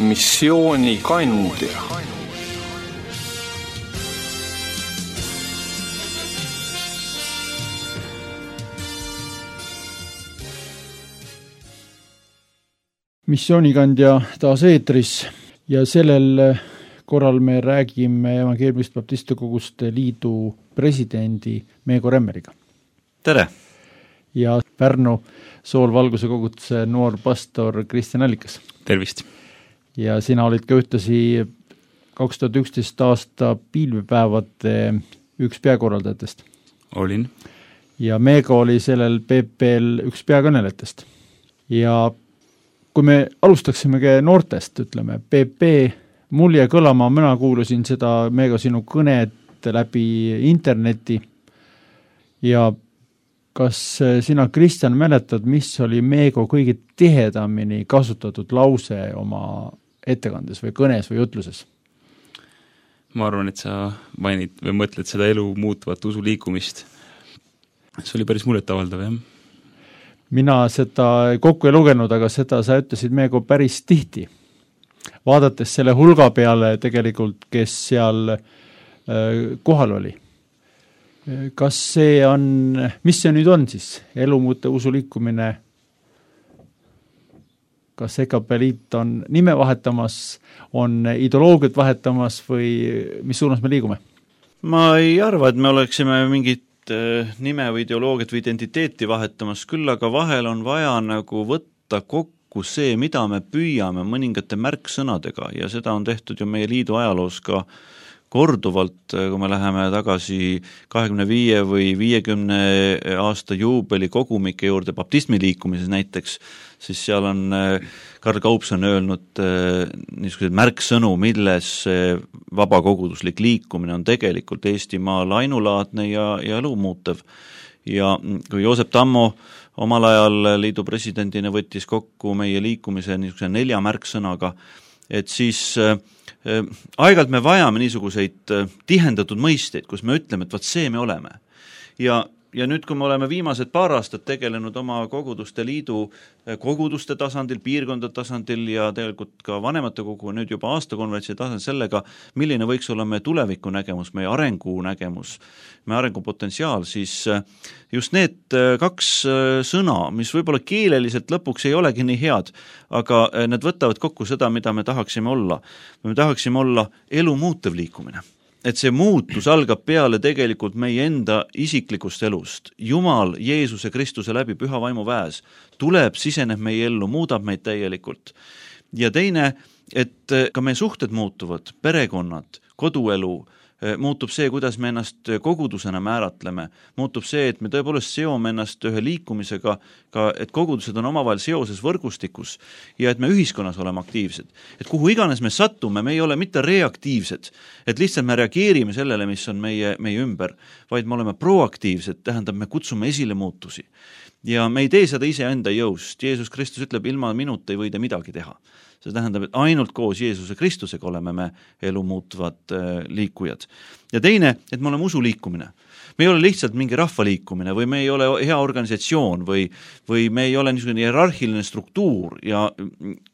Missioonikandja. Missioonikandja taas eetris ja sellel korral me räägime Evangeelmist Baptiste Koguste Liidu presidendi Meego Remmeriga. Tere! Ja Pärnu Soolvalguse koguduse noor pastor Kristjan Allikas. Tervist! Ja sina olid ka ühtlasi 2011 aasta piilvepäevade üks peakorraldajatest. Olin. Ja Meego oli sellel PP-l üks peakõnelejatest. Ja kui me alustaksimegi noortest, ütleme, PP, mul jäi kõlama, mina kuulasin seda Meego sinu kõnet läbi interneti ja kas sina, Kristjan, mäletad, mis oli Meego kõige tihedamini kasutatud lause oma ettekandes või kõnes või jutluses? Ma arvan, et sa mainid või mõtled seda elu muutuvat usuliikumist. See oli päris muljetavaldav, jah? Mina seda kokku ei lugenud, aga seda sa ütlesid Meego päris tihti. Vaadates selle hulga peale tegelikult, kes seal kohal oli. Kas see on, mis see nüüd on siis? Elumuute usuliikumine, kas EKP liit on nime vahetamas, on ideoloogiat vahetamas või mis suunas me liigume? Ma ei arva, et me oleksime mingit nime või ideoloogiat või identiteeti vahetamas, küll aga vahel on vaja nagu võtta kokku see, mida me püüame mõningate märksõnadega ja seda on tehtud ju meie liidu ajaloos ka korduvalt, kui me läheme tagasi 25 või 50 aasta juubeli kogumike juurde baptismi liikumises näiteks, siis seal on Karl Kaupson öelnud niisuguseid märksõnu, milles vabakoguduslik liikumine on tegelikult Eestimaal ainulaadne ja elu muutev. Ja kui Joosep Tammo omal ajal liidu presidendina võttis kokku meie liikumise niisuguse 4 märksõnaga, et siis aeg-ajalt me vajame niisuguseid tihendatud mõisteid, kus me ütleme, et vaat see me oleme. Ja nüüd, kui me oleme viimased paar aastat tegelenud oma koguduste liidu koguduste tasandil, piirkonda tasandil ja tegelikult ka vanemate kogu, nüüd juba aastakonverentsi tasandil sellega, milline võiks olla meie tuleviku nägemus, meie arengu nägemus, meie arengupotentsiaal, siis just need 2 sõna, mis võib-olla keeleliselt lõpuks ei olegi nii head, aga need võtavad kokku seda, mida me tahaksime olla. Me tahaksime olla elu muutev liikumine. Et see muutus algab peale tegelikult meie enda isiklikust elust. Jumal Jeesuse Kristuse läbi püha vaimu väes tuleb, siseneb meie ellu, muudab meid täielikult. Ja teine, et ka meie suhted muutuvad, perekonnad, koduelu, muutub see, kuidas me ennast kogudusena määratleme, muutub see, et me tõepoolest seome ennast ühe liikumisega, ka, et kogudused on omavahel seoses võrgustikus ja et me ühiskonnas oleme aktiivsed. Et kuhu iganes me sattume, me ei ole mitte reaktiivsed, et lihtsalt me reageerime sellele, mis on meie ümber, vaid me oleme proaktiivsed, tähendab, me kutsume esile muutusi. Ja me ei tee seda iseenda jõust. Jeesus Kristus ütleb, ilma minuta ei võida midagi teha. See tähendab, et ainult koos Jeesuse Kristusega oleme me elu muutuvad liikujad. Ja teine, et me oleme usuliikumine. Me ei ole lihtsalt mingi rahvaliikumine või me ei ole hea organisatsioon või me ei ole niisugune hierarhiline struktuur ja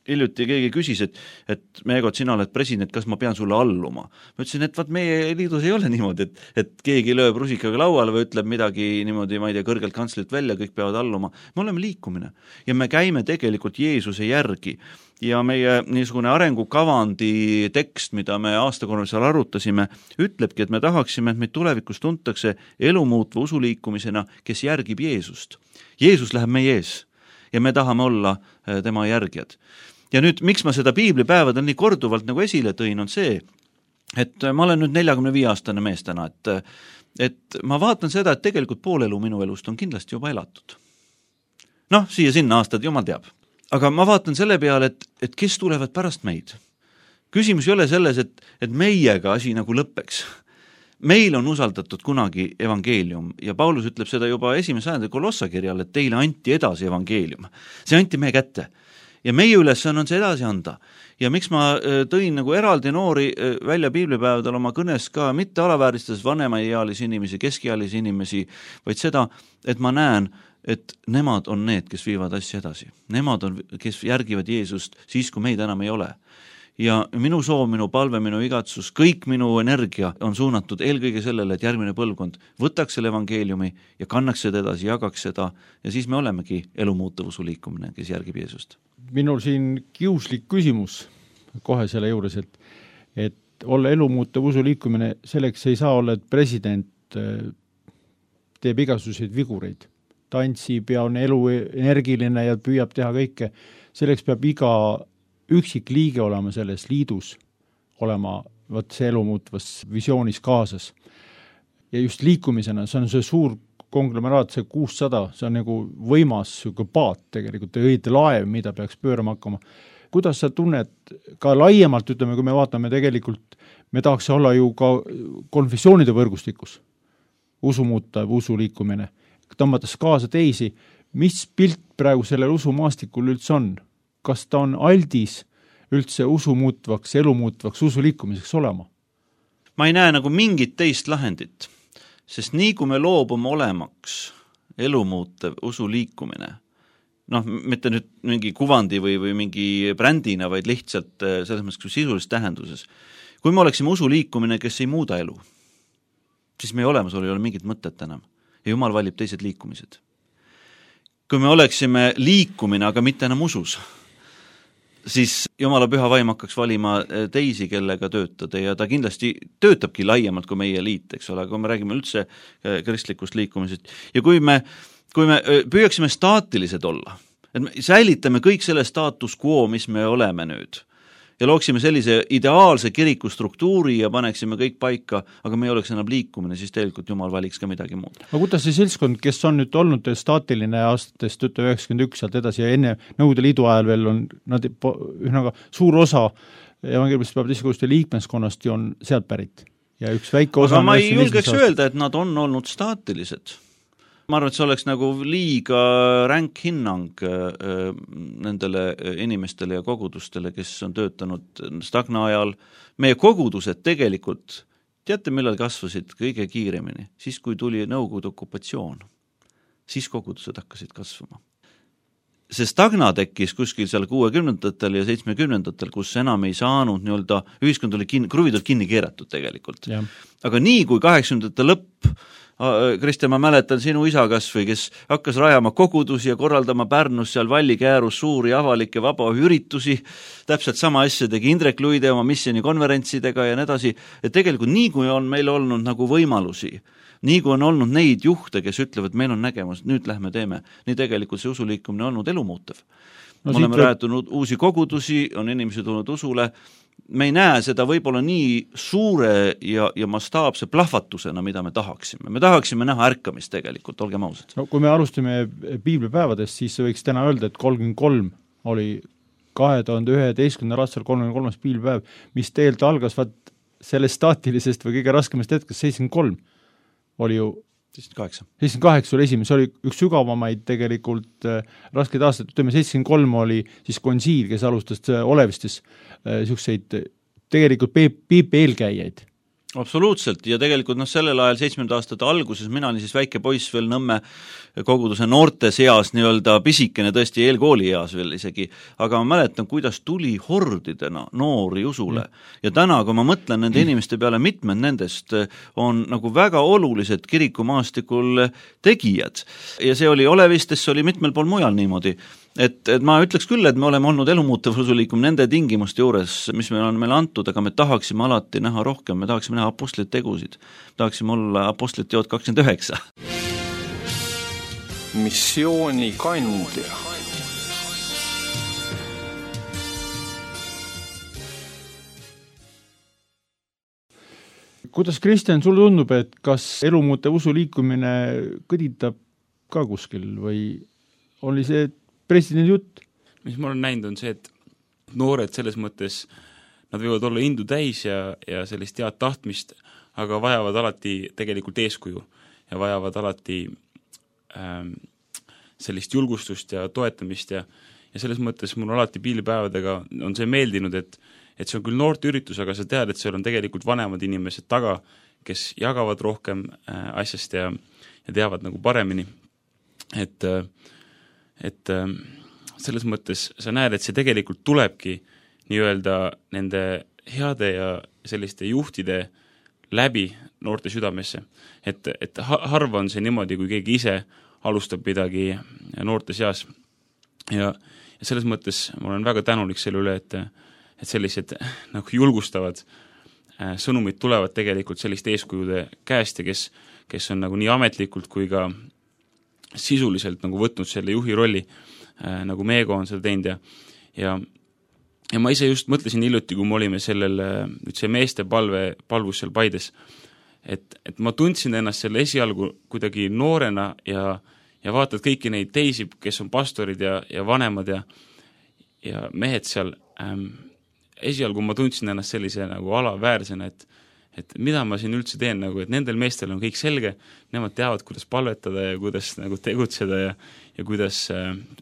hiljuti keegi küsis, et Meego, sina oled president, kas ma pean sulle alluma? Ma ütlesin, et meie liidus ei ole niimoodi, et keegi lööb rusikaga lauale või ütleb midagi niimoodi, ma ei tea, kõrgelt kantslilt välja, kõik peavad alluma. Me oleme liikumine ja me käime tegelikult Jeesuse järgi. Ja meie niisugune arengukavandi tekst, mida me aastakonverentsil arutasime, ütlebki, et me tahaksime, et meid tulevikus tuntakse elumuutva usuliikumisena, kes järgib Jeesust. Jeesus läheb meie ees ja me tahame olla tema järgijad. Ja nüüd, miks ma seda piiblipäevadel nii korduvalt nagu esile tõin, on see, et ma olen nüüd 45-aastane mees täna, et ma vaatan seda, et tegelikult pool elu minu elust on kindlasti juba elatud. Siia-sinna aastad, jumal teab. Aga ma vaatan selle peale, et kes tulevad pärast meid. Küsimus ei ole selles, et meiega asi nagu lõppeks. Meil on usaldatud kunagi evangeelium ja Paulus ütleb seda juba 1. sajandi Kolossakirjal, et teile anti edasi evangeelium. See anti meie kätte. Ja meie ülesanne on see edasi anda. Ja miks ma tõin nagu eraldi noori välja piiblipäevadel oma kõnes ka mitte alavääristades vanemaealisi inimesi, keskealisi inimesi, vaid seda, et ma näen, et nemad on need, kes viivad asja edasi. Nemad on, kes järgivad Jeesust siis, kui meid enam ei ole. ja minu soov, minu palve, minu igatsus, kõik minu energia on suunatud eelkõige sellele, et järgmine põlvkond võtaks selle evangeeliumi ja kannaks seda edasi, jagaks seda ja siis me olemegi elumuutuvusu liikumine, kes järgib Jeesust. Minul siin kiuslik küsimus kohe selle juures, et olla elumuutuvusu liikumine, selleks ei saa olla, et president teeb igasuguseid vigureid. Tantsib ja on energiline ja püüab teha kõike. Selleks peab iga üksik liige olema selles liidus, olema see elumuutvas visioonis kaasas. Ja just liikumisena, see on see suur konglomeraat, see 600, see on nagu võimas paat tegelikult, õieti laev, mida peaks pöörama hakkama. Kuidas sa tunned ka laiemalt, ütleme, kui me vaatame tegelikult, me tahaks olla ju ka konfessioonide võrgustikus, usumuutav, usuliikumine, tõmmates kaasa teisi, mis pilt praegu sellel usumaastikul üldse on? Kas ta on aldis üldse usumuutvaks, elumuutvaks, usuliikumiseks olema? Ma ei näe nagu mingit teist lahendit, sest nii kui me loobume olemaks elumuutev usuliikumine, mitte nüüd mingi kuvandi või mingi brändina, vaid lihtsalt selles mõttes sisulises tähenduses. Kui me oleksime usuliikumine, kes ei muuda elu, siis meie olemasolu ei ole mingit mõtet enam ja Jumal valib teised liikumised. Kui me oleksime liikumine, aga mitte enam usus, siis Jumala püha vaim hakkaks valima teisi, kellega töötada ja ta kindlasti töötabki laiemalt kui meie liit, eks ole, kui me räägime üldse kristlikust liikumisest. Ja kui me püüaksime staatilised olla, et me säilitame kõik selle status quo, mis me oleme nüüd, ja looksime sellise ideaalse kiriku struktuuri ja paneksime kõik paika, aga me ei oleks enam liikumine, siis tegelikult Jumal valiks ka midagi muud. Aga kuidas see seltskond, kes on nüüd olnud staatiline aastatest 91 sealt edasi ja enne Nõukogude Liidu ajal veel on nad ühnaga suur osa evangeeliumist baptistikuste liikmeskonnast ju on sealt pärit. Ja üks väike osa aga ma ei julgeks öelda, et nad on olnud staatilised. Ma arvan, et see oleks nagu liiga ränk hinnang nendele inimestele ja kogudustele, kes on töötanud stagna ajal. Meie kogudused tegelikult, teate, millal kasvasid kõige kiiremini? Siis, kui tuli Nõukogude okupatsioon, siis kogudused hakkasid kasvama. See stagna tekkis kuskil seal 60-ndatel ja 70-ndatel, kus enam ei saanud nii-öelda, ühiskond oli kruvid kinni keeratud tegelikult. Ja. Aga nii kui 80-ndate lõpp, Kristjan, ma mäletan sinu isa kasvõi, kes hakkas rajama kogudusi ja korraldama Pärnus seal Vallikäärus suuri avalikke vabaüüritusi, täpselt sama asja tegi Indrek Luide oma missioni konverentsidega ja nii edasi, et tegelikult nii kui on meil olnud nagu võimalusi, nii kui on olnud neid juhte, kes ütlevad, meil on nägemus, nüüd lähme teeme, nii tegelikult see usuliikumine on olnud elumuutev. Me oleme räätunud uusi kogudusi, on inimesi tulnud usule, me ei näe seda võib-olla nii suure ja mastaapse plahvatusena, mida me tahaksime. Me tahaksime näha ärkamist tegelikult, olgem ausad. No, kui me alustame piiblipäevadest, siis võiks täna öelda, et 33 oli 2011. aastal 33. piiblipäev, mis teelt algas sellest staatilisest või kõige raskemast hetkest 73 oli ju 78 oli esimene, see oli üks sügavamaid tegelikult raskeid aastaid, ütleme 73 oli siis konsiil, kes alustas Olevistes niisuguseid tegelikult piipi eelkäijaid. Absoluutselt ja tegelikult sellel ajal 70 aastate alguses mina olin siis väike poiss veel Nõmme koguduse noorte seas nii-öelda pisikene tõesti eelkooli eas veel isegi, aga ma mäletan, kuidas tuli hordidena noori usule ja täna, kui ma mõtlen nende inimeste peale, mitmed nendest on nagu väga olulised kirikumaastikul tegijad ja see oli Olevistes, see oli mitmel pool mujal niimoodi. Et ma ütleks küll, et me oleme olnud elumuutev usuliikum nende tingimuste juures, mis meil on meile antud, aga me tahaksime alati näha rohkem, me tahaksime näha apostlite tegusid, tahaksime olla apostlite teod 29. Missiooni kandja. Kuidas, Kristjan, sul tundub, et kas elumuutev usuliikumine kõditab ka kuskil või oli see presidendi jutt? Mis ma olen näinud on see, et noored selles mõttes, nad võivad olla indu täis ja sellist head tahtmist, aga vajavad alati tegelikult eeskuju ja vajavad alati sellist julgustust ja toetamist ja selles mõttes mul alati piilipäevadega on see meeldinud, et see on küll noorte üritus, aga sa tead, et seal on tegelikult vanemad inimesed taga, kes jagavad rohkem asjast ja teavad nagu paremini, et selles mõttes sa näed, et see tegelikult tulebki nii-öelda nende heade ja selliste juhtide läbi noorte südamesse. Et harva on see niimoodi, kui keegi ise alustab midagi noorte seas. Ja selles mõttes ma olen väga tänulik selle üle, et sellised nagu julgustavad sõnumid tulevad tegelikult selliste eeskujude käest ja kes on nagu nii ametlikult kui ka sisuliselt nagu võtnud selle juhi rolli, nagu Meego on seda teinud ja ma ise just mõtlesin hiljuti, kui me olime see meeste palvus seal Paides, et ma tundsin ennast selle esialgu kuidagi noorena ja vaatad kõiki neid teisi, kes on pastorid ja vanemad ja mehed seal, esialgu ma tundsin ennast sellise nagu alaväärsena, et mida ma siin üldse teen, nagu, et nendel meestel on kõik selge, nemad teavad, kuidas palvetada ja kuidas nagu tegutseda ja kuidas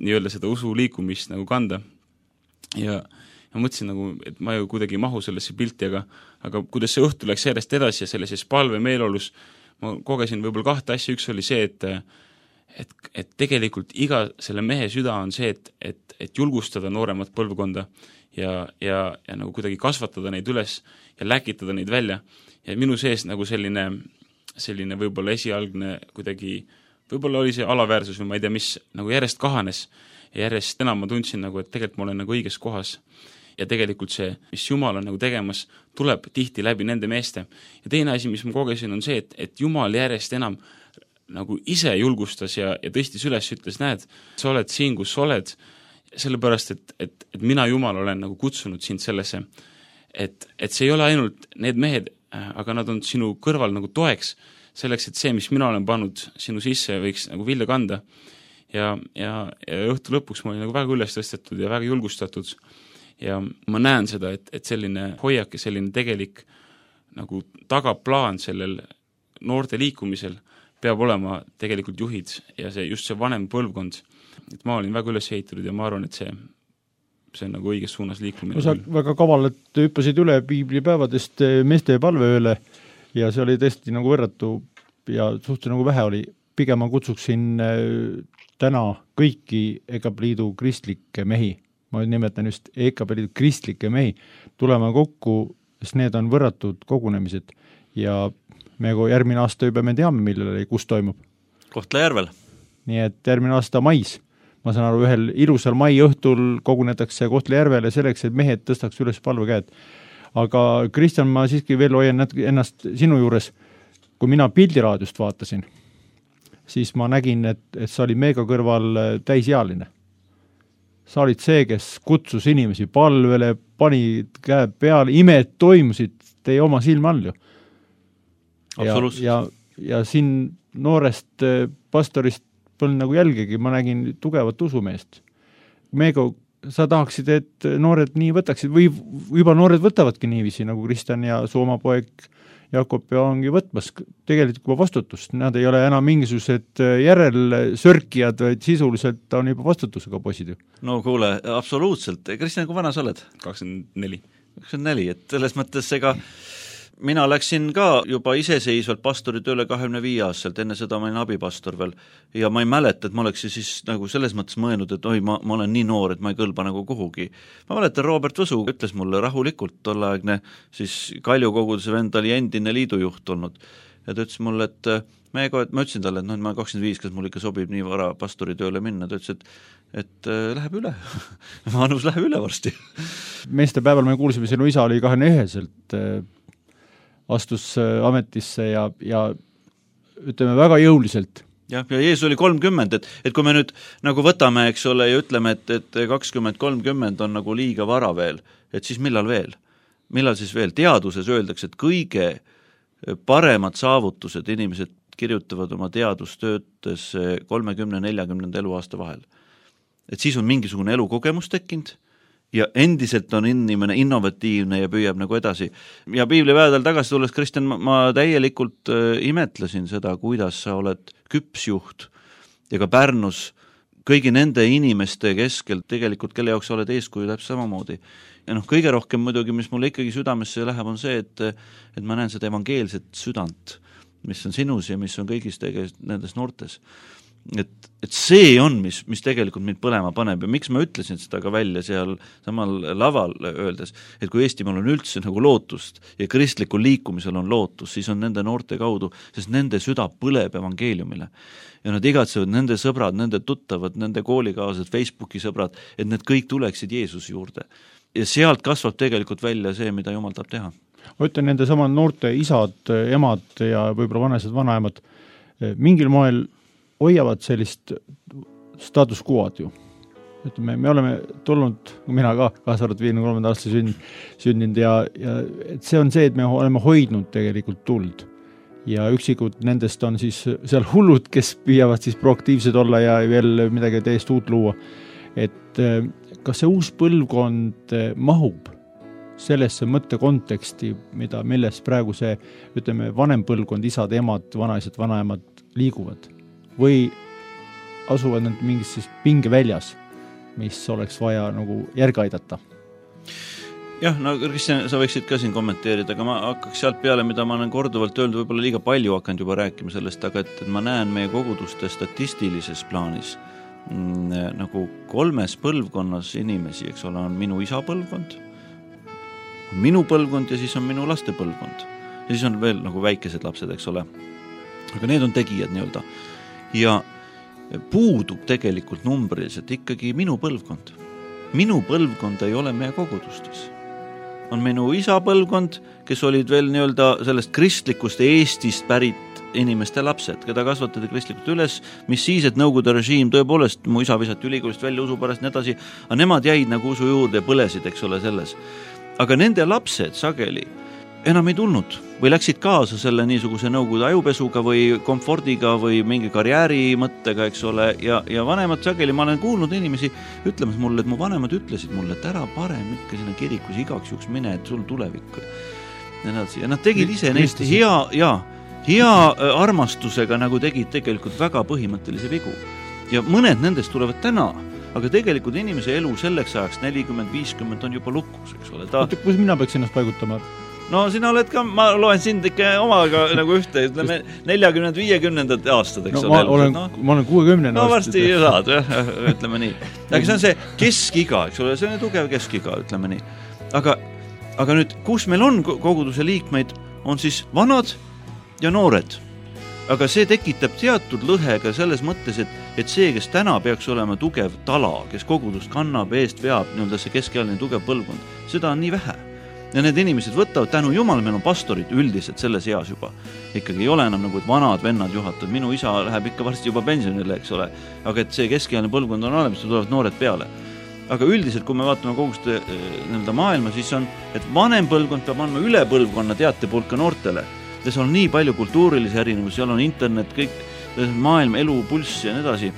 nii-öelda seda usu liikumist nagu kanda. Ja mõtlesin nagu, et ma ju kuidagi ei mahu sellesse pilti, aga kuidas see õhtu läks järjest edasi ja sellises palve meeleolus ma kogesin võib-olla 2 asja, üks oli see, et tegelikult iga selle mehe süda on see, et julgustada nooremat põlvkonda ja nagu kuidagi kasvatada neid üles ja läkitada neid välja. Ja minu sees nagu selline võib-olla esialgne kuidagi, võib-olla oli see alaväärsus või ma ei tea, mis nagu järjest kahanes ja järjest enam ma tundsin nagu, et tegelikult ma olen nagu õiges kohas. Ja tegelikult see, mis Jumal on nagu tegemas, tuleb tihti läbi nende meeste. Ja teine asi, mis ma kogesin, on see, et Jumal järjest enam nagu ise julgustas ja tõstis üles, ütles, näed, sa oled siin, kus sa oled, sellepärast, et mina Jumal olen nagu kutsunud sind sellesse, et see ei ole ainult need mehed, aga nad on sinu kõrval nagu toeks, selleks, et see, mis mina olen pannud sinu sisse, võiks nagu vilja kanda. Ja õhtu lõpuks ma olin nagu väga üles tõstetud ja väga julgustatud. Ja ma näen seda, et selline hoiak ja selline tegelik nagu tagaplaan sellel noorte liikumisel peab olema tegelikult juhid ja just see vanem põlvkond. Et ma olin väga üles ehitatud ja ma arvan, et see on nagu õiges suunas liikumine. Sa väga kavalalt hüppasid üle piiblipäevadest meeste palveööle ja see oli tõesti nagu võrratu ja suhteliselt nagu vähe oli. Pigem ma kutsuksin täna kõiki EKP Liidu kristlikke mehi, ma nimetan just EKP Liidu kristlikke mehi, tulema kokku, sest need on võrratud kogunemised ja me järgmine aasta juba me teame, millele, kus toimub. Kohtla-Järvel. Nii et järgmine aasta mais, ma saan aru, ühel ilusal mai õhtul kogunetakse Kohtla-Järvele selleks, et mehed tõstaks üles palvekäed. Aga Kristjan, ma siiski veel hoian ennast sinu juures, kui mina pildiraadiost vaatasin, siis ma nägin, et sa olid Meega kõrval täisealine. Sa olid see, kes kutsus inimesi palvele, pani käe peale, imed toimusid teie oma silma all ju. Ja siin noorest pastorist polnud nagu jälgegi, ma nägin tugevat usumeest. Meego, sa tahaksid, et noored nii võtaksid või juba noored võtavadki niiviisi, nagu Kristjan ja su oma poeg Jakob ja ongi võtmas tegelikult juba vastutust. Nad ei ole enam mingisugused järelsörkijad, vaid sisuliselt on juba vastutusega poisid ju. No kuule, absoluutselt. Kristjan, kui vana sa oled? 24. 24, et selles mõttes mina läksin ka juba iseseisvalt pastori tööle 25 aastaselt, enne seda ma olin abipastor veel ja ma ei mäleta, et ma oleks siis nagu selles mõttes mõelnud, et oi, ma olen nii noor, et ma ei kõlba nagu kuhugi. Ma mäletan, Robert Võsu ütles mulle rahulikult, tolleaegne siis Kalju koguduse vend oli endine liidujuht olnud ja ta ütles mulle, et ma ütlesin talle, et ma 25, kas mul ikka sobib nii vara pastori tööle minna, ta ütles, et läheb üle vanus läheb üle varsti. Meestepäeval me kuulsime, sinu isa oli 21-selt astus ametisse ja ütleme väga jõuliselt. Ja Jeesus oli 30, et kui me nüüd nagu võtame, eks ole, ja ütleme, et 20-30 on nagu liiga vara veel, et siis millal veel? Millal siis veel? Teaduses öeldakse, et kõige paremad saavutused inimesed kirjutavad oma teadustöötes 30-40 eluaasta vahel. Et siis on mingisugune elukogemus tekkinud, ja endiselt on inimene innovatiivne ja püüab nagu edasi. Ja piiblipäevadel tagasi tulles, Kristjan, ma täielikult imetlesin seda, kuidas sa oled küpsjuht ja ka Pärnus kõigi nende inimeste keskel tegelikult, kelle jaoks sa oled eeskuju täpselt samamoodi. Ja kõige rohkem muidugi, mis mulle ikkagi südamesse läheb, on see, et ma näen seda evangeelset südant, mis on sinus ja mis on kõigis nendes noortes. et see on, mis tegelikult mind põlema paneb ja miks ma ütlesin seda ka välja seal samal laval öeldes, et kui Eestimaal on üldse nagu lootust ja kristlikul liikumisel on lootus, siis on nende noorte kaudu, sest nende süda põleb evangeeliumile. Ja nad igatsevad nende sõbrad, nende tuttavad, nende koolikaaslased, Facebooki sõbrad, et need kõik tuleksid Jeesuse juurde. Ja sealt kasvab tegelikult välja see, mida Jumal tahab teha. Ma ütlen, nende sama noorte isad, emad ja võib-olla vanesed vanaemad mingil moel hoiavad sellist status quo'd ju. Ütleme, me oleme tulnud, mina ka kaasarvat 53. aasta sündinud ja et see on see, et me oleme hoidnud tegelikult tuld. Ja üksikud nendest on siis seal hullud, kes püüavad siis proaktiivsed olla ja veel midagi täiesti uut luua. Et kas see uus põlvkond mahub sellesse mõttekonteksti, milles praegu see, ütleme, vanem põlvkond, isad, emad, vanaisad, vanaemad liiguvad? Või asuvad nad mingis siis pingeväljas, mis oleks vaja nagu järge aidata? Jah, no Kristjan, sa võiksid ka siin kommenteerida, aga ma hakkaks sealt peale, mida ma olen korduvalt öelnud, võib-olla liiga palju hakanud juba rääkima sellest, aga et ma näen meie koguduste statistilises plaanis nagu 3 põlvkonnas inimesi, eks ole, on minu isa põlvkond, minu põlvkond ja siis on minu laste põlvkond. Ja siis on veel nagu väikesed lapsed, eks ole. Aga need on tegijad nii-öelda. Ja puudub tegelikult numbriliselt ikkagi minu põlvkond. Minu põlvkond ei ole meie kogudustes. On minu isa põlvkond, kes olid veel nii-öelda sellest kristlikust Eestist pärit inimeste lapsed, keda kasvatati kristlikult üles, mis siis, et Nõukogude režiim tõepoolest, mu isa visati ülikoolist välja usu pärast nii edasi, aga nemad jäid nagu usu juurde ja põlesid, eks ole, selles. Aga nende lapsed sageli enam ei tulnud või läksid kaasa selle niisuguse Nõukogude ajupesuga või komfordiga või mingi karjääri mõttega, eks ole, ja vanemad sageli, ma olen kuulnud inimesi ütlemas mulle, et mu vanemad ütlesid mulle, et ära parem ikka sinna kirikus igaks juks mine, et sul tulevik. Ja nad tegid ise neist hea armastusega nagu tegid tegelikult väga põhimõttelise vigu. Ja mõned nendest tulevad täna, aga tegelikult inimese elu selleks ajaks 40-50 on juba lukus, eks ole. Kus mina peaks ennast paigutama? No sina oled ka, ma loen sind ikka omaga nagu ühte, ütleme 40-50 aastad, eks ole. Ma olen 60. No varsti saad, ütleme nii. Aga see on see keskiga, eks ole, see on tugev keskiga, ütleme nii. Aga nüüd, kus meil on koguduse liikmeid, on siis vanad ja noored. Aga see tekitab teatud lõhega selles mõttes, et see, kes täna peaks olema tugev tala, kes kogudust kannab, eest veab, nii-öelda see keskealine tugev põlvkond, seda on nii vähe. Ja need inimesed võtavad tänu Jumal, meil on pastorid üldiselt selles eas juba. Ikkagi ei ole enam nagu vanad vennad juhatavad, minu isa läheb ikka varsti juba pensionile, eks ole, aga et see keskealine põlvkond on olemas, tulevad noored peale. Aga üldiselt, kui me vaatame koguste maailma, siis on, et vanem põlvkond peab andma üle põlvkonna teatepulka noortele. Ja seal on nii palju kultuurilisi erinevusi, seal on internet, kõik maailm, elu, pulss ja nii edasi.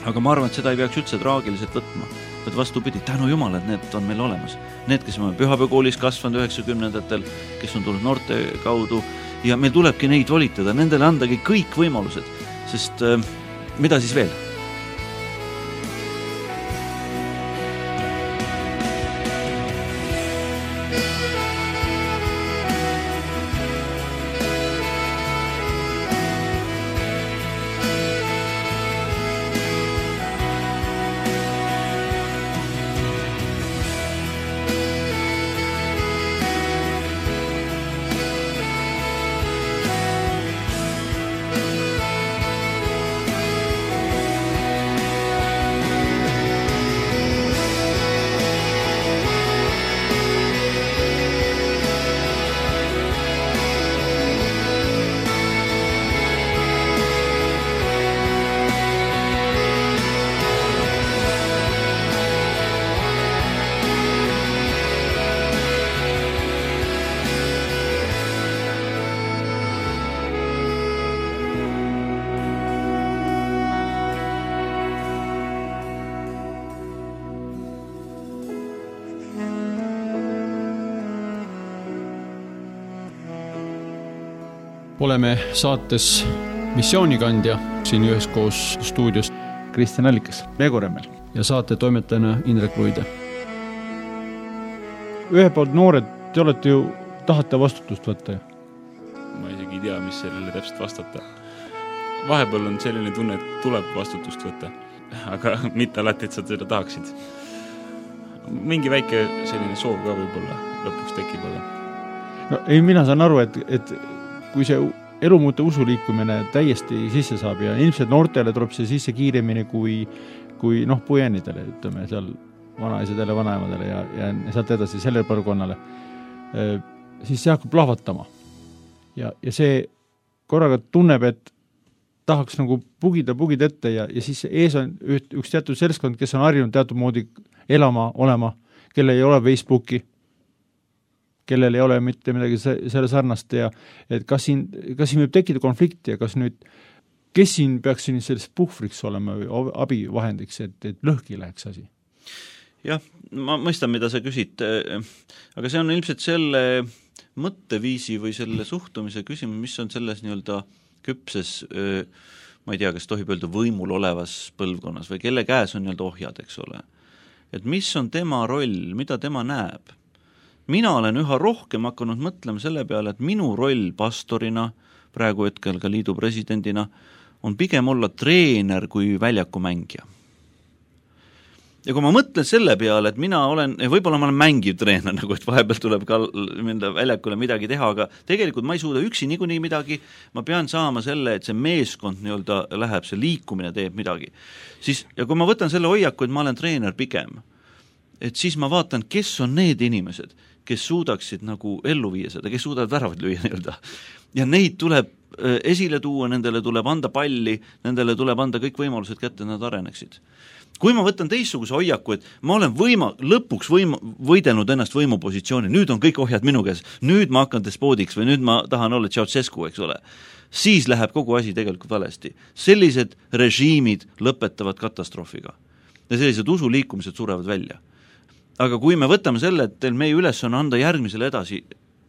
Aga ma arvan, et seda ei peaks üldse traagiliselt võtma. Et vastupidi, tänu Jumal, et need on meil olemas. Need, kes on pühapäevakoolis kasvanud 90-ndatel, kes on tulnud noorte kaudu ja meil tulebki neid volitada, nendele andagi kõik võimalused, sest mida siis veel? Oleme saates Missioonikandja siin üheskoos stuudios Kristjan Allikas, Veegoremmel ja saate toimetajana Indrek Luide. Ühe poolt noored, te olete ju, tahate vastutust võtta. Ma isegi ei tea, mis sellele täpselt vastata. vahepeal on selline tunne, et tuleb vastutust võtta, aga mitte alati, et sa seda tahaksid. Mingi väike selline soov ka võib-olla lõpuks tekib, aga no, ei, mina saan aru, et kui see elumuute usuliikumine täiesti sisse saab ja ilmselt noortele tuleb see sisse kiiremini kui puiennidele, ütleme, seal vanaisadele, vanaemadele ja sealt edasi sellele põlvkonnale, siis see hakkab lahvatama. Ja see korraga tunneb, et tahaks nagu pugida ette ja siis ees on üks teatud seltskond, kes on harjunud teatud moodi elama, olema, kellel ei ole Facebooki, kellel ei ole mitte midagi selle sarnast ja et kas siin võib tekkida konflikti ja kas nüüd, kes siin peaks siin sellist puhvriks olema või abivahendiks, et lõhki läheks asi? Jah, ma mõistan, mida sa küsid, aga see on ilmselt selle mõtteviisi või selle suhtumise küsimus, mis on selles nii-öelda küpses, ma ei tea, kas tohib öelda võimul olevas põlvkonnas või kelle käes on nii-öelda ohjad, eks ole. Et mis on tema roll, mida tema näeb? Mina olen üha rohkem hakanud mõtlema selle peale, et minu roll pastorina, praegu hetkel ka liidu presidendina, on pigem olla treener kui väljaku mängija. Ja kui ma mõtlen selle peale, et mina olen, võib-olla ma olen mängiv treener, nagu et vahepeal tuleb ka minna väljakule midagi teha, aga tegelikult ma ei suuda üksi niikuinii midagi, ma pean saama selle, et see meeskond nii-öelda läheb, see liikumine teeb midagi. Siis, ja kui ma võtan selle hoiaku, et ma olen treener pigem, et siis ma vaatan, kes on need inimesed, kes suudaksid nagu ellu viia seda, kes suudavad väravad lüüa nii-öelda. Ja neid tuleb esile tuua, nendele tuleb anda palli, nendele tuleb anda kõik võimalused kätte, nad areneksid. Kui ma võtan teistsuguse hoiaku, et ma olen lõpuks võidelnud ennast võimupositsiooni, nüüd on kõik ohjad minu käes, nüüd ma hakkan despoodiks või nüüd ma tahan olla Ceausescu, eks ole, siis läheb kogu asi tegelikult valesti. Sellised režiimid lõpetavad katastroofiga ja sellised usuliikumised surevad välja. Aga kui me võtame selle, et meie üles on anda järgmisele edasi,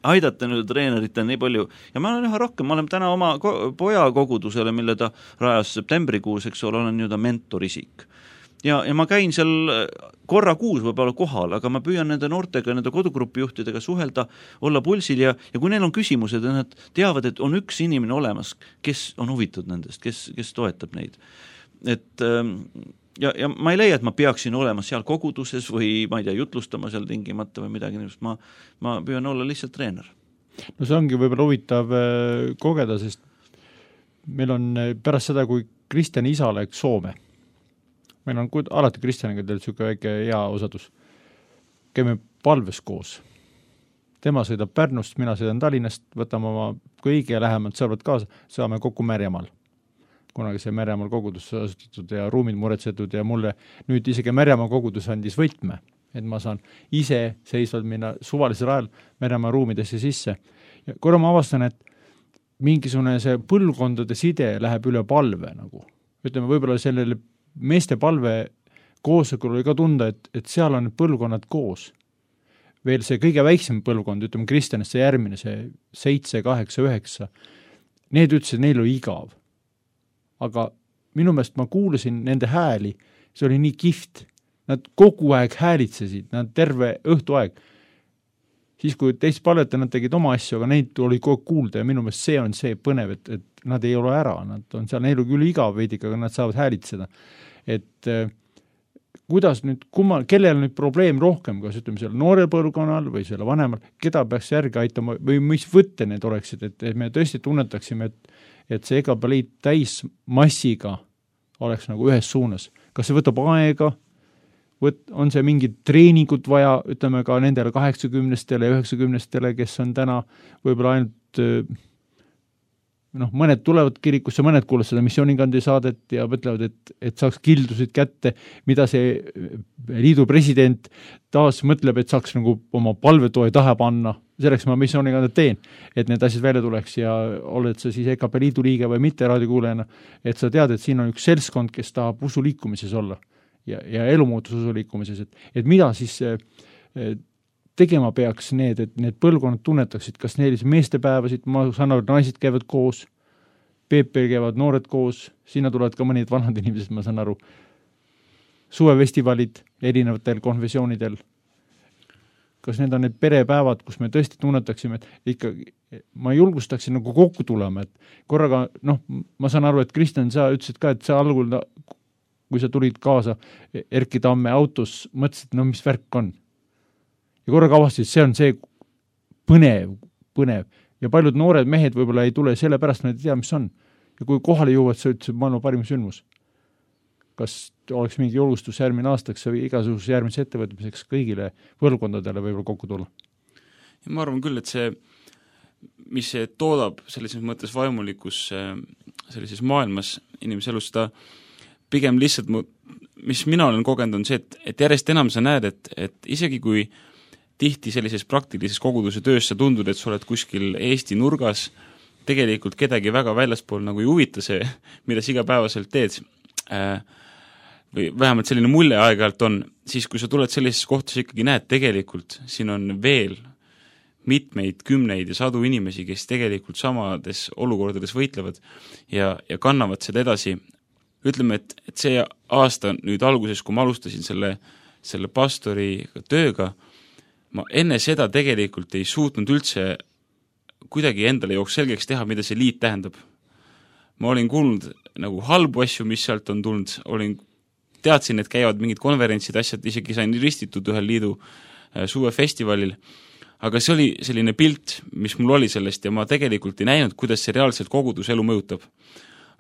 aidata nüüd treenerite nii palju, ja ma olen üha rohkem, ma olen täna oma poja kogudusele, mille ta rajas septembrikuus, eks ole, olen nii-öelda mentorisik. Ja ma käin seal korra kuus võib-olla kohal, aga ma püüan nende noortega, nende kodugrupi juhtidega suhelda, olla pulsil ja kui neil on küsimused ja nad teavad, et on üks inimene olemas, kes on huvitud nendest, kes toetab neid. Et ja ma ei leia, et ma peaksin olema seal koguduses või ma ei tea, jutlustama seal tingimata või midagi, ma püüan olla lihtsalt treener. No see ongi võib-olla huvitav kogeda, sest meil on pärast seda, kui Kristjani isa läks Soome, meil on alati Kristjaniga teil niisugune väike hea osadus, käime palves koos. Tema sõidab Pärnust, mina sõidan Tallinnast, võtame oma kõige lähemalt sõbrad kaasa, saame kokku Märjamaal. Kunagi see Märjamaa kogudus asutatud ja ruumid muretsetud ja mulle nüüd isegi Märjamaa kogudus andis võtme, et ma saan ise seisvalt minna suvalisel ajal Märjamaa ruumidesse sisse. Ja korra ma avastan, et mingisugune see põlvkondade side läheb üle palve nagu. Ütleme, võib-olla sellele meeste palve koosolekul oli ka tunda, et seal on põlvkonnad koos. Veel see kõige väiksem põlvkond, ütleme Kristjanist see järgmine, see 7, 8, 9, need ütlesid, neil oli igav. Aga minu meelest ma kuulasin nende hääli, see oli nii kihvt. Nad kogu aeg häälitsesid, nad terve õhtu aeg. Siis kui teist palveta, nad tegid oma asju, aga neid oli kogu kuulda ja minu meelest see on see põnev, et nad ei ole ära, nad on seal, neil on küll igav veidik, aga nad saavad häälitseda. Et kuidas nüüd, kellel nüüd probleem rohkem, kas ütleme seal noorel põlvkonnal või selle vanemal, keda peaks järgi aitama või mis võtte need oleksid, et me tõesti tunnetaksime, et see EKP-liit täis massiga oleks nagu ühes suunas. Kas see võtab aega, on see mingid treeningud vaja, ütleme ka nendele 80-stele ja 90-stele, kes on täna võib-olla ainult mõned tulevad kirikusse, mõned kuulevad seda missioonikandi saadet ja mõtlevad, et saaks kildusid kätte, mida see liidu president taas mõtleb, et saaks nagu oma palvetoe taha panna. Selleks ma missioonikande teen, et need asjad välja tuleks ja oled sa siis EKP liidu liige või mitte raadiokuulejana, et sa tead, et siin on üks seltskond, kes tahab usuliikumises olla ja elumuutus usuliikumises, et mida siis tegema peaks need, et need põlvkonnad tunnetaksid, kas neil meestepäevasid, ma saan aru, naised käivad koos, PP käivad noored koos, sinna tulevad ka mõned vanad inimesed, ma saan aru, suvefestivalid erinevatel konfessioonidel. kas need on need perepäevad, kus me tõesti tunnetaksime, et ikkagi ma julgustaksin nagu kokku tulema, et korraga, ma saan aru, et Kristjan, sa ütlesid ka, et sa algul, kui sa tulid kaasa Erki Tamme autos, mõtlesid, mis värk on. Ja korraga avastasid, see on see põnev. Ja paljud noored mehed võib-olla ei tule selle pärast, nad ei tea, mis on. Ja kui kohale jõuvad, sa ütlesid maailma parim sündmus. Kas oleks mingi julgustus järgmine aastaks või igasuguse järgmise ettevõtmiseks kõigile põlvkondadele võib-olla kokku tulla? Ja ma arvan küll, et see, mis see toodab sellises mõttes vaimulikus sellises maailmas inimese elus, ta pigem lihtsalt, mis mina olen kogenud, on see, et järjest enam sa näed, et isegi kui tihti sellises praktilises koguduse töös sa tundud, et sa oled kuskil Eesti nurgas, tegelikult kedagi väga väljaspool nagu ei huvita see, mida sa igapäevaselt teed, või vähemalt selline mulje aeg-ajalt on, siis kui sa tuled sellises kohtas ikkagi näed tegelikult, siin on veel mitmeid, kümneid ja sadu inimesi, kes tegelikult samades olukordades võitlevad ja kannavad seda edasi. Ütleme, et see aasta nüüd alguses, kui ma alustasin selle pastori tööga, ma enne seda tegelikult ei suutnud üldse kuidagi endale jooks selgeks teha, mida see liit tähendab. Ma olin kuulnud nagu halbu asju, mis sealt on tulnud, teadsin, et käivad mingid konverentsid, asjad, isegi sain ristitud ühel liidu suvefestivalil, aga see oli selline pilt, mis mul oli sellest ja ma tegelikult ei näinud, kuidas see reaalselt koguduselu mõjutab.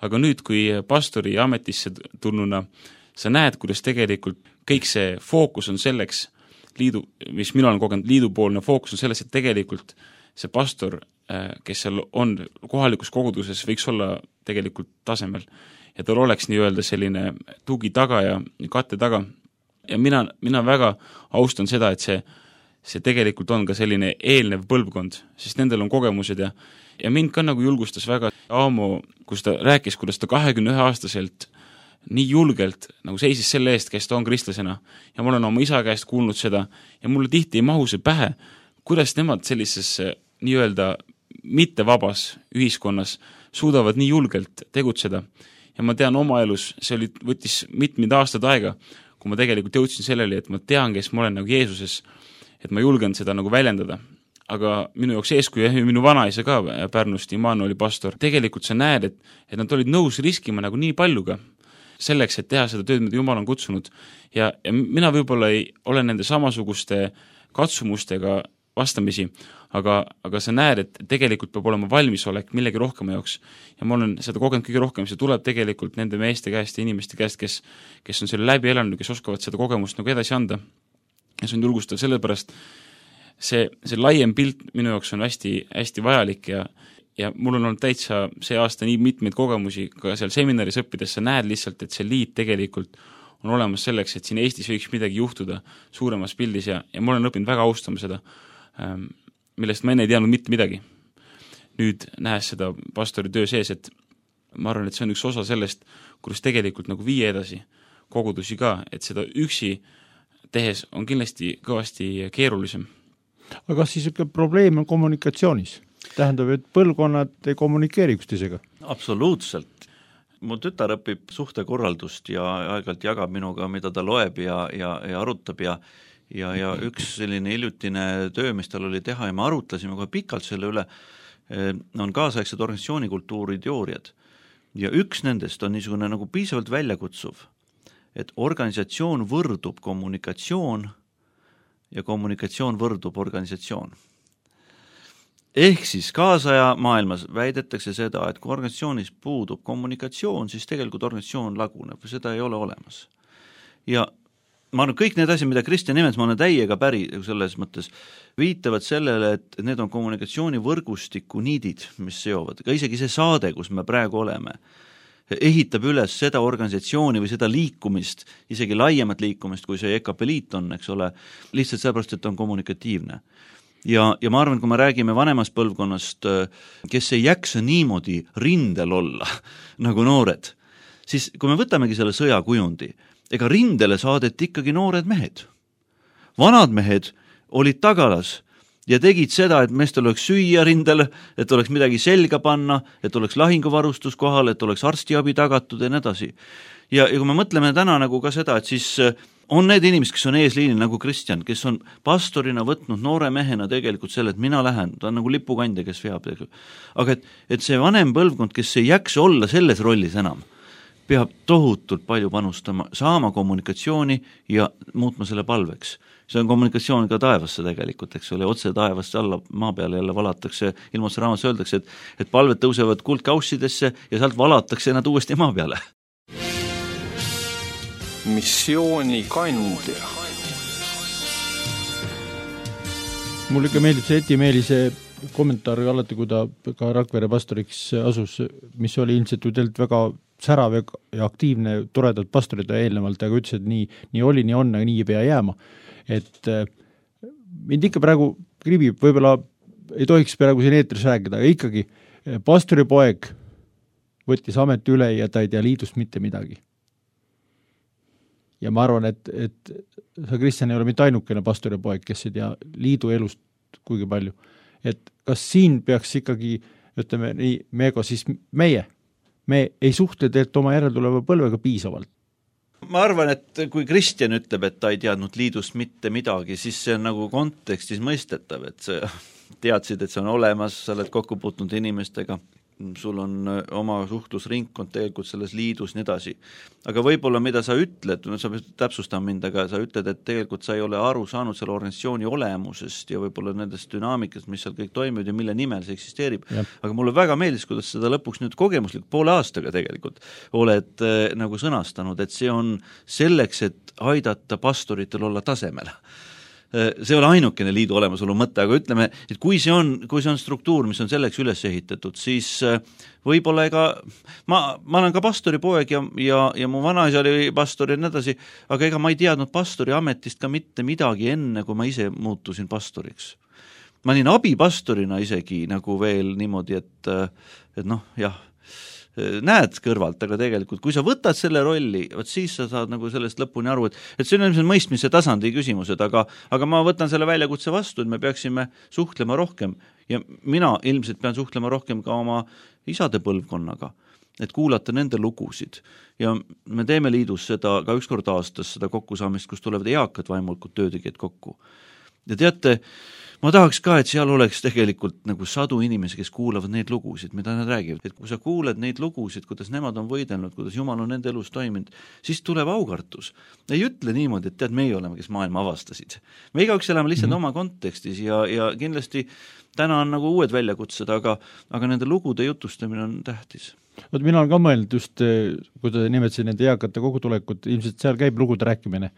Aga nüüd, kui pastori ametisse tulnuna, sa näed, kuidas tegelikult kõik see fookus on selleks, mis mina olen kogenud, liidupoolne fookus on selles, et tegelikult see pastor, kes seal on kohalikus koguduses, võiks olla tegelikult tasemel. Ja tal oleks nii-öelda selline tugi taga ja katte taga. Ja mina väga austan seda, et see tegelikult on ka selline eelnev põlvkond, sest nendel on kogemused ja mind ka nagu julgustas väga Aamo, kus ta rääkis, kuidas ta 21-aastaselt nii julgelt nagu seisis selle eest, kes ta on kristlasena. Ja ma olen oma isa käest kuulnud seda ja mulle tihti ei mahu see pähe, kuidas nemad sellises nii-öelda mittevabas ühiskonnas suudavad nii julgelt tegutseda. Ja ma tean oma elus, see võttis mitmed aastad aega, kui ma tegelikult jõudsin sellele, et ma tean, kes ma olen nagu Jeesuses, et ma julgen seda nagu väljendada. Aga minu jaoks eeskuju, minu vanaisa ka Pärnust, Immanueli pastor, tegelikult sa näed, et nad olid nõus riskima nagu nii paljuga selleks, et teha seda tööd, mida Jumal on kutsunud. Ja mina võib-olla ei ole nende samasuguste katsumustega vastamisi, aga sa näed, et tegelikult peab olema valmisolek millegi rohkema jaoks. Ja ma olen seda kogenud kõige rohkem, see tuleb tegelikult nende meeste käest ja inimeste käest, kes on selle läbi elanud, kes oskavad seda kogemust nagu edasi anda. Ja see on julgustav sellepärast, see laiem pilt minu jaoks on hästi, hästi vajalik ja mul on olnud täitsa see aasta nii mitmeid kogemusi, ka seal seminaris õppides sa näed lihtsalt, et see liit tegelikult on olemas selleks, et siin Eestis võiks midagi juhtuda suuremas pildis ja ma olen õppinud väga austama seda, millest ma enne ei teadnud mitte midagi. Nüüd nähes seda pastori töö sees, et ma arvan, et see on üks osa sellest, kuidas tegelikult nagu viia edasi kogudusi ka, et seda üksi tehes on kindlasti kõvasti keerulisem. Aga kas siis probleem on kommunikatsioonis? Tähendab, et põlvkonnad ei kommunikeeri üksteisega? Absoluutselt. Mu tütar õpib suhtekorraldust ja aeg-ajalt jagab minuga, mida ta loeb ja arutab ja üks selline hiljutine töö, mis tal oli teha ja me arutlesime kohe pikalt selle üle, on kaasaegsed organisatsioonikultuuri teooriad. Ja üks nendest on niisugune nagu piisavalt väljakutsuv, et organisatsioon võrdub kommunikatsioon ja kommunikatsioon võrdub organisatsioon. Ehk siis kaasaja maailmas väidetakse seda, et kui organisatsioonis puudub kommunikatsioon, siis tegelikult organisatsioon laguneb või seda ei ole olemas. Ja ma arvan, kõik need asjad, mida Kristjan nimetas, ma olen täiega päri selles mõttes, viitavad sellele, et need on kommunikatsiooni võrgustiku niidid, mis seovad. Ka isegi see saade, kus me praegu oleme, ehitab üles seda organisatsiooni või seda liikumist, isegi laiemat liikumist, kui see EKP liit on, eks ole, lihtsalt sellepärast, et on kommunikatiivne. Ja ma arvan, kui me räägime vanemast põlvkonnast, kes ei jaksa niimoodi rindel olla nagu noored, siis kui me võtamegi selle sõjakujundi, ega rindele saadeti ikkagi noored mehed. Vanad mehed olid tagalas ja tegid seda, et meestel oleks süüa rindel, et oleks midagi selga panna, et oleks lahinguvarustus kohal, et oleks arstiabi tagatud ja nii edasi. Ja kui me mõtleme täna nagu ka seda, et siis on need inimesed, kes on eesliinil nagu Kristjan, kes on pastorina võtnud noore mehena tegelikult selle, et mina lähen, ta on nagu lipukandja, kes veab. Aga et see vanem põlvkond, kes ei jaksa olla selles rollis enam, peab tohutult palju panustama, saama kommunikatsiooni ja muutma selle palveks. See on kommunikatsioon ka taevasse tegelikult, eks ole, otse taevasse alla maa peale jälle valatakse, ilmutuse raamatus öeldakse, et palved tõusevad kuldkaussidesse ja sealt valatakse nad uuesti maa peale. Missiooni kandja. Mulle ikka meeldib see Eti Meelise kommentaar alati, kui ta ka Rakvere pastoriks asus, mis oli ilmselt ju teilt väga särav ja aktiivne, toredalt pastorida eelnevalt, aga ütles, et nii oli, nii on, aga nii ei pea jääma. Et mind ikka praegu kribib, võib-olla ei tohiks praegu siin eetris rääkida, aga ikkagi pastori poeg võttis ameti üle ja ta ei tea liidust mitte midagi. Ja ma arvan, et sa, Kristjan, ei ole mitte ainukene pastori poeg, kes ei tea liidu elust kuigi palju. Et kas siin peaks ikkagi, ütleme nii, Meego, siis me ei suhtle teilt oma järeltuleva põlvega piisavalt. Ma arvan, et kui Kristjan ütleb, et ta ei teadnud liidust mitte midagi, siis see on nagu kontekstis mõistetav, et sa teadsid, et see on olemas, sa oled kokku puutunud inimestega, sul on oma suhtlusringkond tegelikult selles liidus nii edasi. Aga võib-olla mida sa ütled, sa pead täpsustama mind, aga sa ütled, et tegelikult sa ei ole aru saanud selle organisatsiooni olemusest ja võib-olla nendest dünaamikast, mis seal kõik toimivad ja mille nimel see eksisteerib. Ja. Aga mulle väga meeldis, kuidas seda lõpuks nüüd kogemuslik poole aastaga tegelikult oled nagu sõnastanud, et see on selleks, et aidata pastoritel olla tasemel. See ei ole ainukene liidu olemasolu mõte, aga ütleme, et kui see on struktuur, mis on selleks üles ehitatud, siis võib-olla ega ma olen ka pastori poeg ja mu vanaisa oli pastor ja nii edasi, aga ega ma ei teadnud pastori ametist ka mitte midagi enne, kui ma ise muutusin pastoriks. Ma olin abipastorina isegi nagu veel niimoodi, et noh, jah, näed kõrvalt, aga tegelikult kui sa võtad selle rolli, siis sa saad nagu sellest lõpuni aru, et see on ilmselt mõistmise tasandi küsimused, aga ma võtan selle väljakutse vastu, et me peaksime suhtlema rohkem ja mina ilmselt pean suhtlema rohkem ka oma isade põlvkonnaga, et kuulata nende lugusid ja me teeme liidus seda ka üks kord aastas, seda kokkusaamist, kus tulevad eakad vaimulikud töötegijad kokku. Ja teate, ma tahaks ka, et seal oleks tegelikult nagu 100 inimesi, kes kuulavad neid lugusid, mida nad räägivad. Et kui sa kuuled neid lugusid, kuidas nemad on võidelnud, kuidas Jumal on nende elus toiminud, siis tuleb aukartus. Ei ütle niimoodi, et tead, meie oleme, kes maailma avastasid. Me igaüks elame lihtsalt oma kontekstis ja kindlasti täna on nagu uued väljakutsed, aga nende lugude jutustamine on tähtis. Mina olen ka mõelnud just, kui ta nimetasid nende eakate kogutulekut, ilmselt seal käib lugude rääkimine,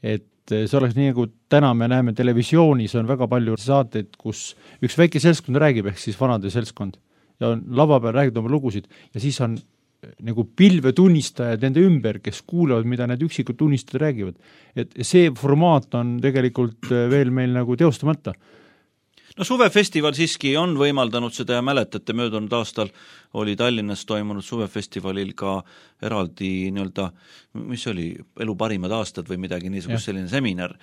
et see oleks nii, nagu täna me näeme televisioonis, on väga palju saateid, kus üks väike seltskond räägib, ehk siis vanade seltskond, ja on lava peal räägid oma lugusid, ja siis on nagu pilvetunnistajad nende ümber, kes kuulevad, mida need üksikud tunnistajad räägivad. Et see formaat on tegelikult veel meil nagu teostamata. No suvefestival siiski on võimaldanud seda ja mäletate, möödunud aastal oli Tallinnas toimunud suvefestivalil ka eraldi nii-öelda, mis oli elu parimad aastad või midagi niisugust selline seminar,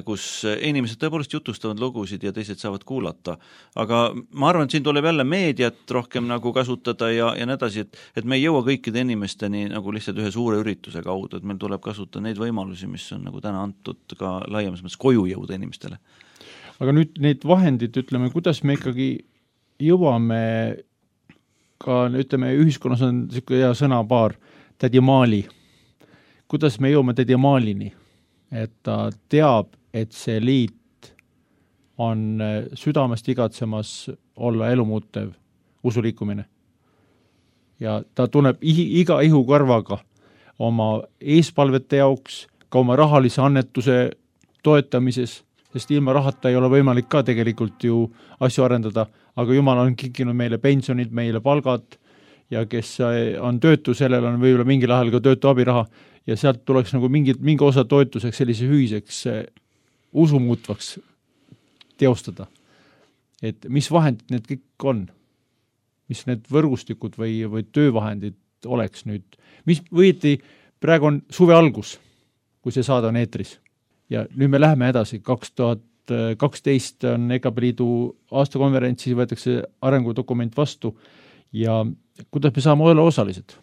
kus inimesed tõepoolest jutustavad lugusid ja teised saavad kuulata. Aga ma arvan, et siin tuleb jälle meediat rohkem nagu kasutada ja nii edasi, et me ei jõua kõikide inimesteni nagu lihtsalt ühe suure ürituse kaudu, et meil tuleb kasutada neid võimalusi, mis on nagu täna antud ka laiemas mõttes koju jõuda inimestele. Aga nüüd neid vahendid, ütleme, kuidas me ikkagi jõuame ka, ütleme, ühiskonnas on selline hea sõnapaar, tädi Maali. Kuidas me jõuame tädi Maalini? Et ta teab, et see liit on südamest igatsemas olla elumuutev usuliikumine. Ja ta tunneb iga ihukarvaga oma eespalvete jaoks, ka oma rahalise annetuse toetamises, sest ilma rahata ei ole võimalik ka tegelikult ju asju arendada, aga Jumal on kinkinud meile pensionid, meile palgad ja kes on töötu, sellel on võib-olla mingil ajal ka töötu abiraha ja sealt tuleks nagu mingi osa toetuseks sellise hüiseks usumuutvaks teostada. Et mis vahendid need kõik on? Mis need võrgustikud või töövahendid oleks nüüd? Mis võeti, praegu on suve algus, kui see saade on eetris. Ja nüüd me läheme edasi, 2012 on EKP Liidu aastakonverentsi, võetakse arengudokument vastu ja kuidas me saame olla osalised?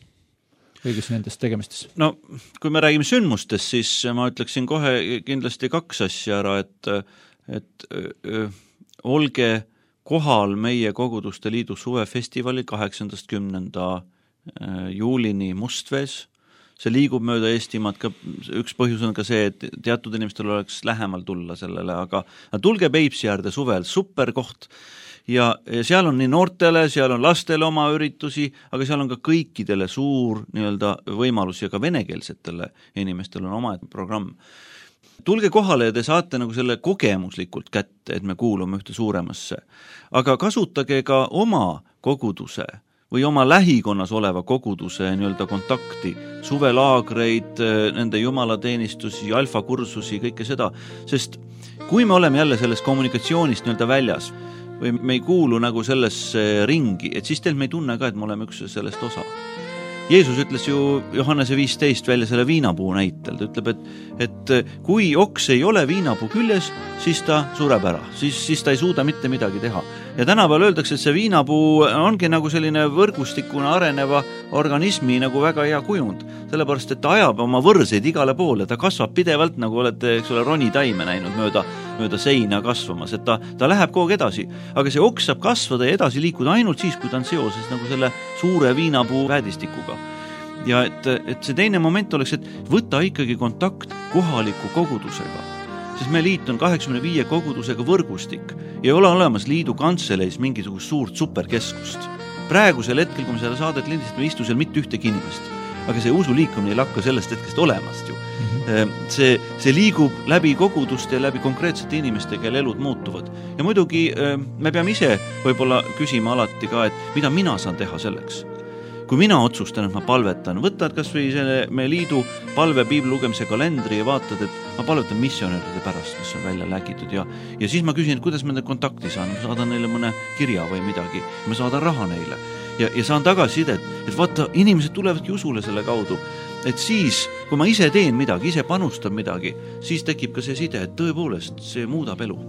kõigis nendes tegemistes? No kui me räägime sündmustest, siis ma ütleksin kohe kindlasti 2 asja ära, et olge kohal meie Koguduste Liidu suvefestivalil 8.–10. juulini Mustvees. See liigub mööda Eestimaad, ka üks põhjus on ka see, et teatud inimestel oleks lähemal tulla sellele, aga tulge Peipsi äärde suvel, super koht. Ja seal on nii noortele, seal on lastele oma üritusi, aga seal on ka kõikidele suur võimalus ja ka venekeelsetele inimestel on oma programm. Tulge kohale ja te saate nagu selle kogemuslikult kätte, et me kuulume ühte suuremasse. Aga kasutage ka oma koguduse või oma lähikonnas oleva koguduse kontakti, suvelaagreid, nende jumalateenistusi, alfakursusi, kõike seda, sest kui me oleme jälle sellest kommunikatsioonist väljas või me ei kuulu nagu sellesse ringi, et siis me ei tunne ka, et me oleme üks sellest osa. Jeesus ütles ju Johannese 15 välja selle viinapuu näitel, ta ütleb, et kui oks ei ole viinapuu küljes, siis ta sureb ära, siis ta ei suuda mitte midagi teha. Ja tänapäeval öeldakse, et see viinapuu ongi nagu selline võrgustikuna areneva organismi nagu väga hea kujund, sellepärast, et ta ajab oma võrseid igale poole, ta kasvab pidevalt, nagu olete ronitaime näinud mööda seina kasvamas, et ta läheb kogu edasi, aga see oks saab kasvada ja edasi liikuda ainult siis, kui ta on seoses nagu selle suure viinapuu väedistikuga. Ja et see teine moment oleks, et võtta ikkagi kontakt kohaliku kogudusega, sest me liit on 85 kogudusega võrgustik ja ei ole olemas liidu kantseleis mingisugust suurt superkeskust. Praegusel hetkel, kui me selle saadet lindistame, me istu seal mitte ühtegi inimest, aga see usuliikumine ei lakka sellest hetkest olemast ju. See liigub läbi koguduste ja läbi konkreetsete inimeste, kelle elud muutuvad. Ja muidugi me peame ise võib-olla küsima alati ka, et mida mina saan teha selleks. Kui mina otsustan, et ma palvetan, võtad kas või selle meie liidu palve piibli lugemise kalendri ja vaatad, et ma palvetan missionäride pärast, mis on välja lägitud ja siis ma küsin, et kuidas ma nende kontakti saan, ma saadan neile mõne kirja või midagi, ma saadan raha neile ja saan tagasisidet, et vaata, inimesed tulevadki usule selle kaudu, et siis, kui ma ise teen midagi, ise panustan midagi, siis tekib ka see side, et tõepoolest see muudab elu.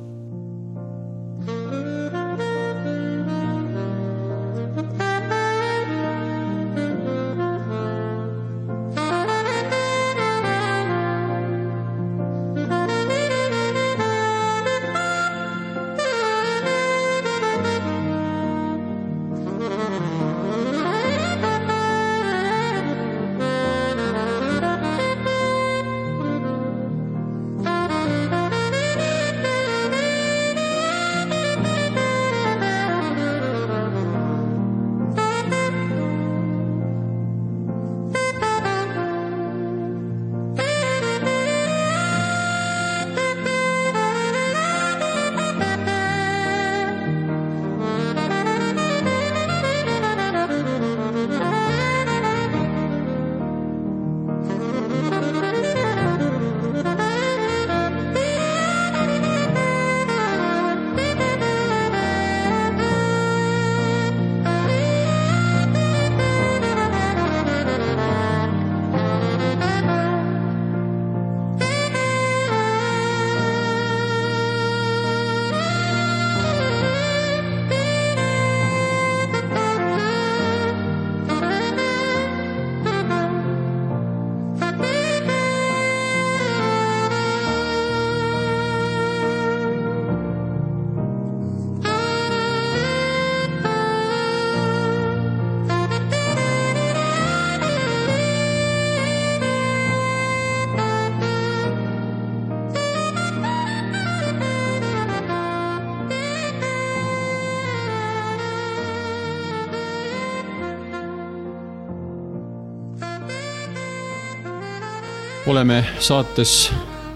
Oleme saates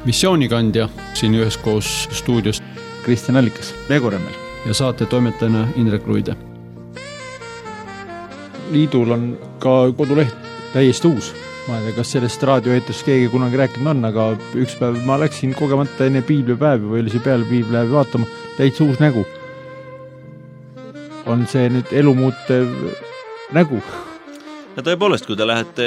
Missioonikandja siin üheskoos stuudios Kristjan Allikas, Legoremmel ja saate toimetajana Indrek Ruide. Liidul on ka koduleht täiesti uus. Ma ei tea, kas sellest raadioeetrist keegi kunagi rääkinud on, aga üks päev ma läksin kogemata enne piiblipäevi või oli see peale piiblipäevi vaatama, täitsa uus nägu. On see nüüd elumuutev nägu? Ja tõepoolest, kui te lähete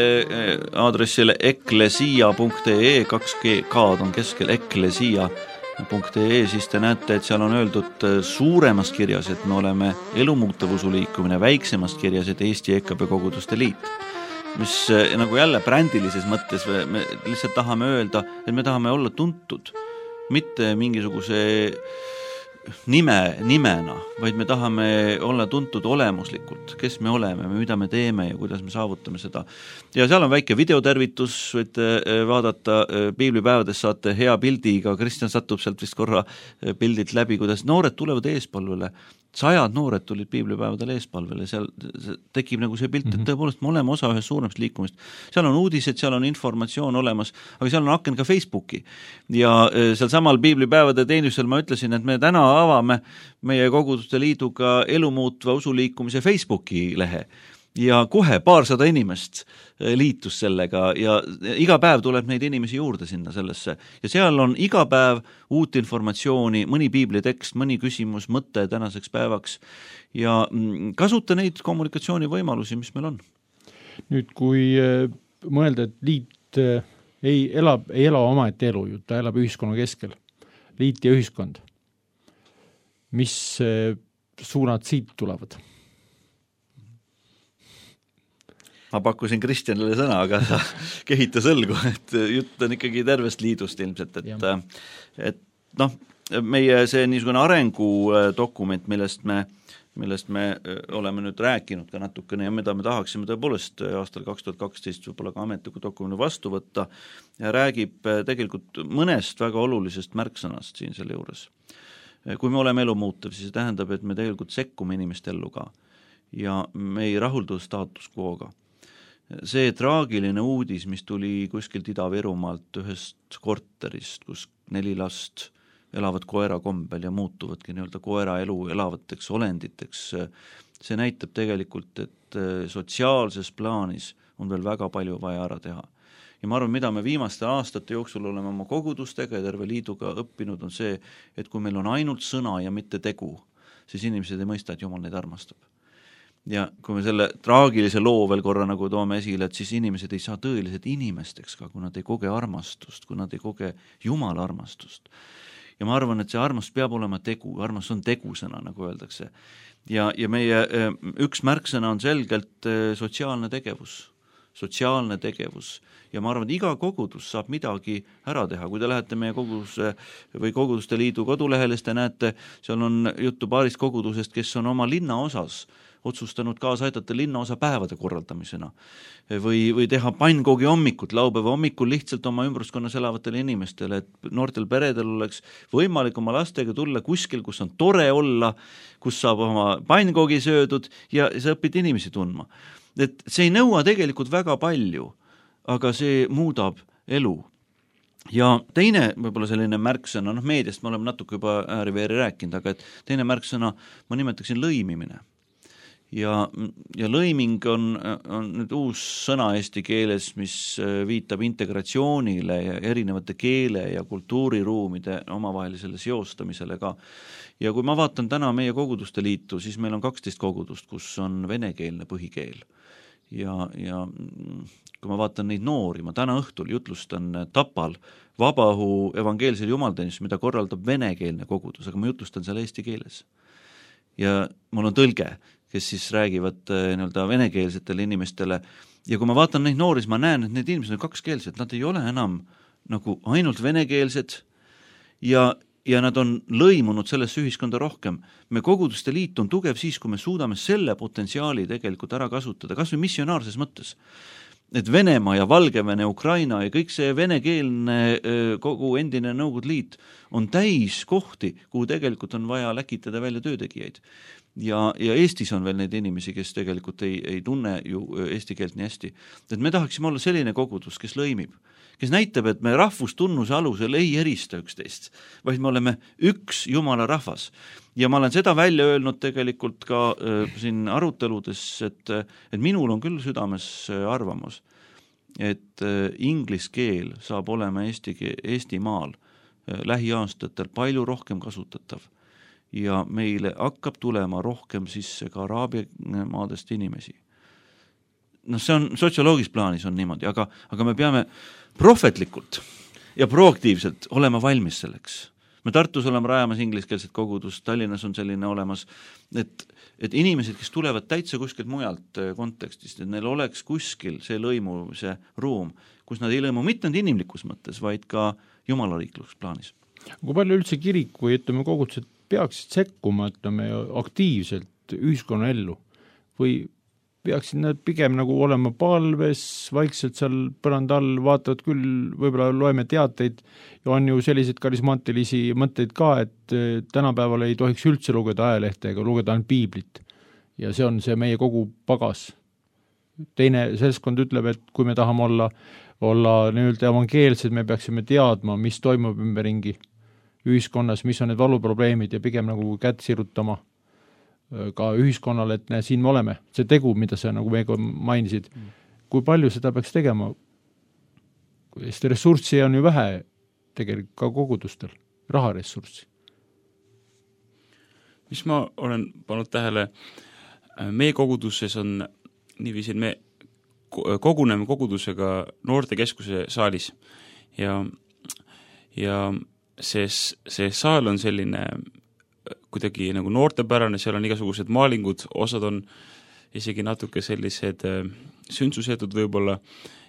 aadressile eklesia.ee, 2K-d on keskel eklesia.ee, siis te näete, et seal on öeldud suuremas kirjas, et me oleme elumuutevusuliikumine, väiksemas kirjas, et Eesti EKP Koguduste Liit. mis nagu jälle brändilises mõttes me lihtsalt tahame öelda, et me tahame olla tuntud, mitte mingisuguse nimena, vaid me tahame olla tuntud olemuslikult, kes me oleme, mida me teeme ja kuidas me saavutame seda. Ja seal on väike videotervitus, võite vaadata, piiblipäevades saate hea pildiga, Kristjan satub sealt vist korra pildilt läbi, kuidas noored tulevad eespalvele, 100 noored tulid piiblipäevadel eespalvele, seal tekib nagu see pilt, et tõepoolest me oleme osa ühest suuremast liikumist. Seal on uudised, seal on informatsioon olemas, aga seal on aken ka Facebooki. Ja seal samal piiblipäevade teenusel ma ütlesin, et me täna avame meie koguduste liiduga elumuutva usuliikumise Facebooki lehe. Ja kohe 200 inimest liitus sellega ja iga päev tuleb neid inimesi juurde sinna sellesse. Ja seal on iga päev uut informatsiooni, mõni piiblitekst, mõni küsimus, mõte tänaseks päevaks ja kasuta neid kommunikatsioonivõimalusi, mis meil on. Nüüd, kui mõelda, et liit ei ela omaette elu, ta elab ühiskonna keskel, liit ja ühiskond, mis suunad siit tulevad? Ma pakkusin Kristjanile sõna, aga sa kehita sõlgu, et jutt on ikkagi tervest liidust ilmselt, et noh, meie see niisugune arengudokument, millest me oleme nüüd rääkinud ka natukene ja mida me tahaksime tõepoolest aastal 2012 võib-olla ka ametliku dokumendi vastu võtta ja räägib tegelikult mõnest väga olulisest märksõnast siin selle juures. Kui me oleme elu muutev, siis see tähendab, et me tegelikult sekkume inimeste ellu ka ja me ei rahuldu staatus quo'ga. See traagiline uudis, mis tuli kuskilt Ida-Virumaalt ühest korterist, kus 4 last elavad koera kombel ja muutuvadki nii-öelda koera elu elavateks olenditeks, see näitab tegelikult, et sotsiaalses plaanis on veel väga palju vaja ära teha. Ja ma arvan, mida me viimaste aastate jooksul oleme oma kogudustega ja terve liiduga õppinud, on see, et kui meil on ainult sõna ja mitte tegu, siis inimesed ei mõista, et Jumal neid armastab. Ja kui me selle traagilise loo veel korra nagu toome esile, et siis inimesed ei saa tõeliselt inimesteks ka, kui nad ei koge armastust, kui nad ei koge Jumala armastust. Ja ma arvan, et see armastus peab olema tegu, armastus on tegusõna, nagu öeldakse. Ja meie üks märksõna on selgelt sotsiaalne tegevus. Ja ma arvan, et iga kogudus saab midagi ära teha. Kui te lähete meie koguduse või koguduste liidu kodulehele, te näete, seal on juttu paarist kogudusest, kes on oma linna osas otsustanud kaasa aidata linnaosa päevade korraldamisena või teha pannkoogi hommikut, laupäeva hommikul lihtsalt oma ümbruskonnas elavatele inimestele, et noortel peredel oleks võimalik oma lastega tulla kuskil, kus on tore olla, kus saab oma pannkoogi söödud ja sa õpid inimesi tundma. Et see ei nõua tegelikult väga palju, aga see muudab elu. Ja teine võib-olla selline märksõna, meediast me oleme natuke juba ääri-veeri rääkinud, aga et teine märksõna ma nimetaksin lõimimine. Ja lõiming on nüüd uus sõna eesti keeles, mis viitab integratsioonile ja erinevate keele ja kultuuriruumide omavahelisele seostamisele ka. Ja kui ma vaatan täna meie koguduste liitu, siis meil on 12 kogudust, kus on venekeelne põhikeel. Ja kui ma vaatan neid noori, ma täna õhtul jutlustan Tapal Vabaõhu evangeelsel jumalteenistus, mida korraldab venekeelne kogudus, aga ma jutlustan seal eesti keeles. Ja mul on tõlge, kes siis räägivad nii-öelda venekeelsetele inimestele. Ja kui ma vaatan neid noori, ma näen, et need inimesed on kakskeelsed, nad ei ole enam nagu ainult venekeelsed ja nad on lõimunud sellesse ühiskonda rohkem. Me koguduste liit on tugev siis, kui me suudame selle potentsiaali tegelikult ära kasutada, kas või missionaarses mõttes. Et Venemaa ja Valgevene, Ukraina ja kõik see venekeelne kogu endine Nõukogude liit on täis kohti, kuhu tegelikult on vaja läkitada välja töötegijaid. Ja Eestis on veel neid inimesi, kes tegelikult ei tunne ju eesti keelt nii hästi. Et me tahaksime olla selline kogudus, kes lõimib, kes näitab, et me rahvustunnuse alusel ei erista üksteist, vaid me oleme üks Jumala rahvas. Ja ma olen seda välja öelnud tegelikult ka siin aruteludes, et minul on küll südames arvamus, et inglise keel saab olema Eestimaal lähiaastatel palju rohkem kasutatav. Ja meile hakkab tulema rohkem sisse ka Araabia maadest inimesi. See on sotsioloogis plaanis on niimoodi, aga me peame prohvetlikult ja proaktiivselt olema valmis selleks. me Tartus oleme rajamas ingliskeelset kogudust, Tallinnas on selline olemas, et inimesed, kes tulevad täitsa kuskilt mujalt kontekstist, et neil oleks kuskil see lõimu, see ruum, kus nad ei lõimu mitte ainult inimlikus mõttes, vaid ka jumalariikluks plaanis. Kui palju üldse kirik või ütleme kogudused peaksid sekkuma, ütleme aktiivselt ühiskonna ellu või peaksid nad pigem nagu olema palves, vaikselt seal põranda all, vaatavad küll, võib-olla loeme teateid ja on ju selliseid karismaatilisi mõtteid ka, et tänapäeval ei tohiks üldse lugeda ajalehte ega lugeda ainult piiblit. Ja see on see meie kogu pagas. Teine seltskond ütleb, et kui me tahame olla nii-öelda evangeelsed, me peaksime teadma, mis toimub ümberringi ühiskonnas, mis on need valuprobleemid ja pigem nagu kätt sirutama ka ühiskonnale, et siin me oleme. See tegu, mida sa nagu meiega mainisid, kui palju seda peaks tegema? Sest ressurssi on ju vähe tegelikult ka kogudustel, raharessurssi. Mis ma olen pannud tähele, meie koguduses on niiviisi, me koguneme kogudusega noortekeskuse saalis ja see saal on selline kuidagi nagu noortepärane, seal on igasugused maalingud, osad on isegi natuke sellised sündsusetud võib-olla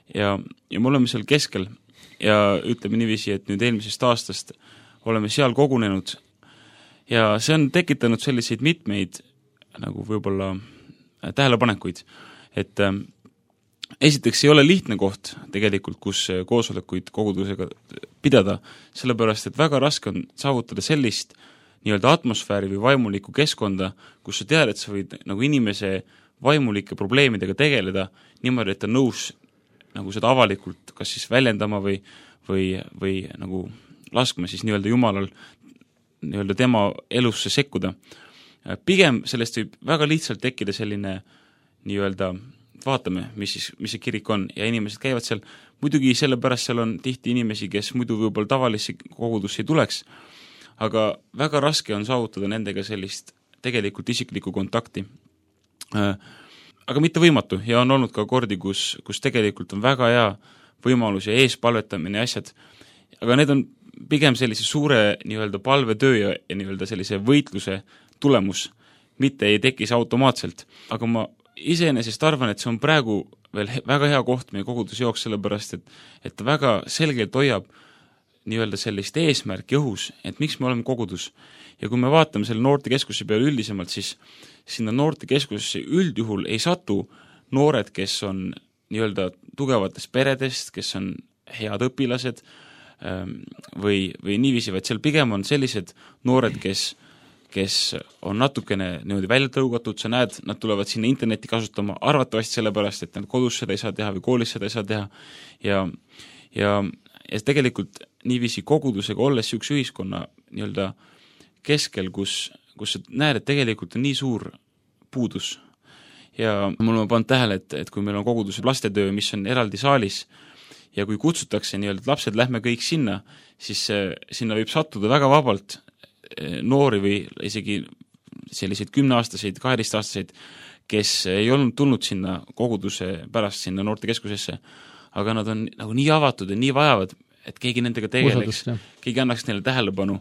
ja me oleme seal keskel ja ütleme niiviisi, et nüüd eelmisest aastast oleme seal kogunenud ja see on tekitanud selliseid mitmeid nagu võib-olla tähelepanekuid, et esiteks ei ole lihtne koht tegelikult, kus koosolekuid kogudusega pidada, sellepärast et väga raske on saavutada sellist nii-öelda atmosfääri või vaimulikku keskkonda, kus sa tead, et sa võid nagu inimese vaimulike probleemidega tegeleda niimoodi, et ta nõus nagu seda avalikult kas siis väljendama või nagu laskma siis nii-öelda Jumalal nii-öelda tema elusse sekkuda. Pigem sellest võib väga lihtsalt tekkida selline nii-öelda vaatame, mis see kirik on ja inimesed käivad seal, muidugi sellepärast seal on tihti inimesi, kes muidu võib-olla tavalisse kogudusse ei tuleks, aga väga raske on saavutada nendega sellist tegelikult isiklikku kontakti. Aga mitte võimatu ja on olnud ka kordi, kus tegelikult on väga hea võimalus ja eespalvetamine ja asjad, aga need on pigem sellise suure nii-öelda palvetöö ja nii-öelda sellise võitluse tulemus, mitte ei tekis automaatselt, aga ma iseenesest arvan, et see on praegu veel väga hea koht meie koguduse jooks, sellepärast et väga selgelt hoiab nii-öelda sellist eesmärki õhus, et miks me oleme kogudus. Ja kui me vaatame selle noortekeskuse peale üldisemalt, siis sinna noortekeskusesse üldjuhul ei satu noored, kes on nii-öelda tugevatest peredest, kes on head õpilased või niiviisi, vaid seal pigem on sellised noored, kes on natukene niimoodi välja tõugatud, sa näed, nad tulevad sinna interneti kasutama arvatavasti sellepärast, et nad kodus seda ei saa teha või koolis seda ei saa teha ja tegelikult niiviisi kogudusega olles üks ühiskonna nii-öelda keskel, kus sa näed, et tegelikult on nii suur puudus. Ja mul on pannud tähele, et kui meil on koguduse lastetöö, mis on eraldi saalis, ja kui kutsutakse nii-öelda, et lapsed lähme kõik sinna, siis sinna võib sattuda väga vabalt noori või isegi selliseid 10-aastaseid, 12-aastaseid, kes ei olnud tulnud sinna koguduse pärast sinna noortekeskusesse, aga nad on nagu nii avatud ja nii vajavad, et keegi nendega tegeleks, keegi annaks neile tähelepanu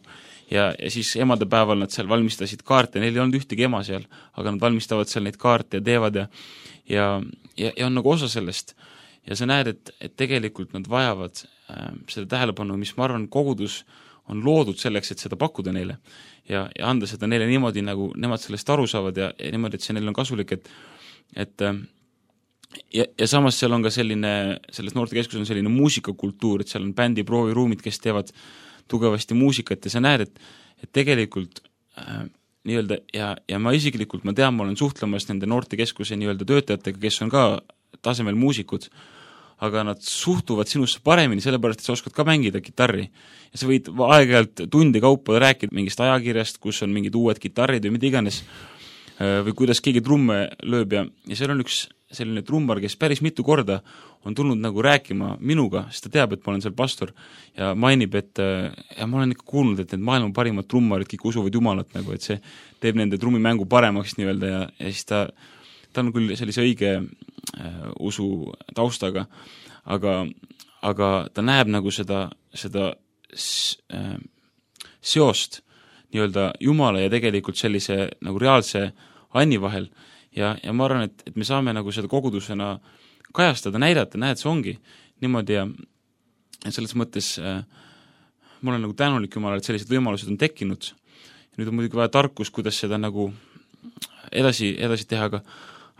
ja siis emadepäeval nad seal valmistasid kaarte, neil ei olnud ühtegi ema seal, aga nad valmistavad seal neid kaarte ja teevad ja on nagu osa sellest. Ja sa näed, et tegelikult nad vajavad seda tähelepanu, mis ma arvan, kogudus on loodud selleks, et seda pakkuda neile ja anda seda neile niimoodi, nagu nemad sellest aru saavad ja niimoodi, et see neil on kasulik, et ja samas seal on ka selline, selles noortekeskus on selline muusikakultuur, et seal on bändi prooviruumid, kes teevad tugevasti muusikat ja sa näed, et tegelikult nii-öelda ja ma isiklikult, ma tean, ma olen suhtlemas nende noortekeskuse nii-öelda töötajatega, kes on ka tasemel muusikud, aga nad suhtuvad sinusse paremini, sellepärast, et sa oskad ka mängida kitarri. Ja sa võid aeg-ajalt tundi kaupa rääkida mingist ajakirjast, kus on mingid uued kitarrid või mida iganes, või kuidas keegi trumme lööb ja seal on üks selline trummar, kes päris mitu korda on tulnud nagu rääkima minuga, sest ta teab, et ma olen seal pastor ja mainib, et ja ma olen ikka kuulnud, et need maailma parimad trummarid kõik usuvad Jumalat, nagu, et see teeb nende trummimängu paremaks nii-öelda ja siis ta on küll sellise õige usu taustaga, aga ta näeb nagu seda seost nii-öelda Jumala ja tegelikult sellise nagu reaalse Anni vahel ja ma arvan, et me saame nagu seda kogudusena kajastada, näidata, näed, see ongi niimoodi ja selles mõttes ma olen nagu tänulik Jumalale, et sellised võimalused on tekkinud. Ja nüüd on muidugi vaja tarkus, kuidas seda nagu edasi teha,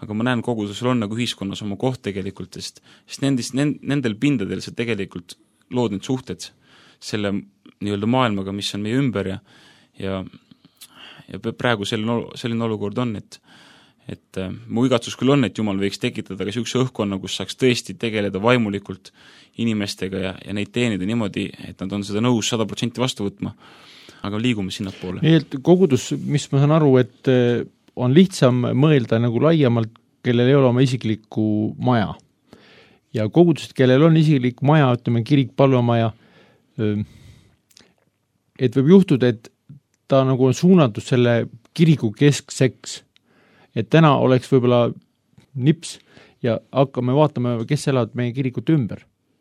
aga ma näen kogudusel on nagu ühiskonnas oma koht tegelikult, sest nendel pindadel sa tegelikult lood need suhted selle nii-öelda maailmaga, mis on meie ümber ja praegu selline olukord on, et mu igatsus küll on, et Jumal võiks tekitada ka niisuguse õhkkonna, kus saaks tõesti tegeleda vaimulikult inimestega ja neid teenida niimoodi, et nad on seda nõus 100% vastu võtma, aga liigume sinna poole. Nii et kogudus, mis ma saan aru, et on lihtsam mõelda nagu laiemalt, kellel ei ole oma isiklikku maja. Ja kogudused, kellel on isiklik maja, ütleme kirik, palvemaja, et võib juhtuda, et ta nagu on suunatud selle kiriku keskseks, et täna oleks võib-olla nips ja hakkame vaatama, kes elavad meie kirikut ümber.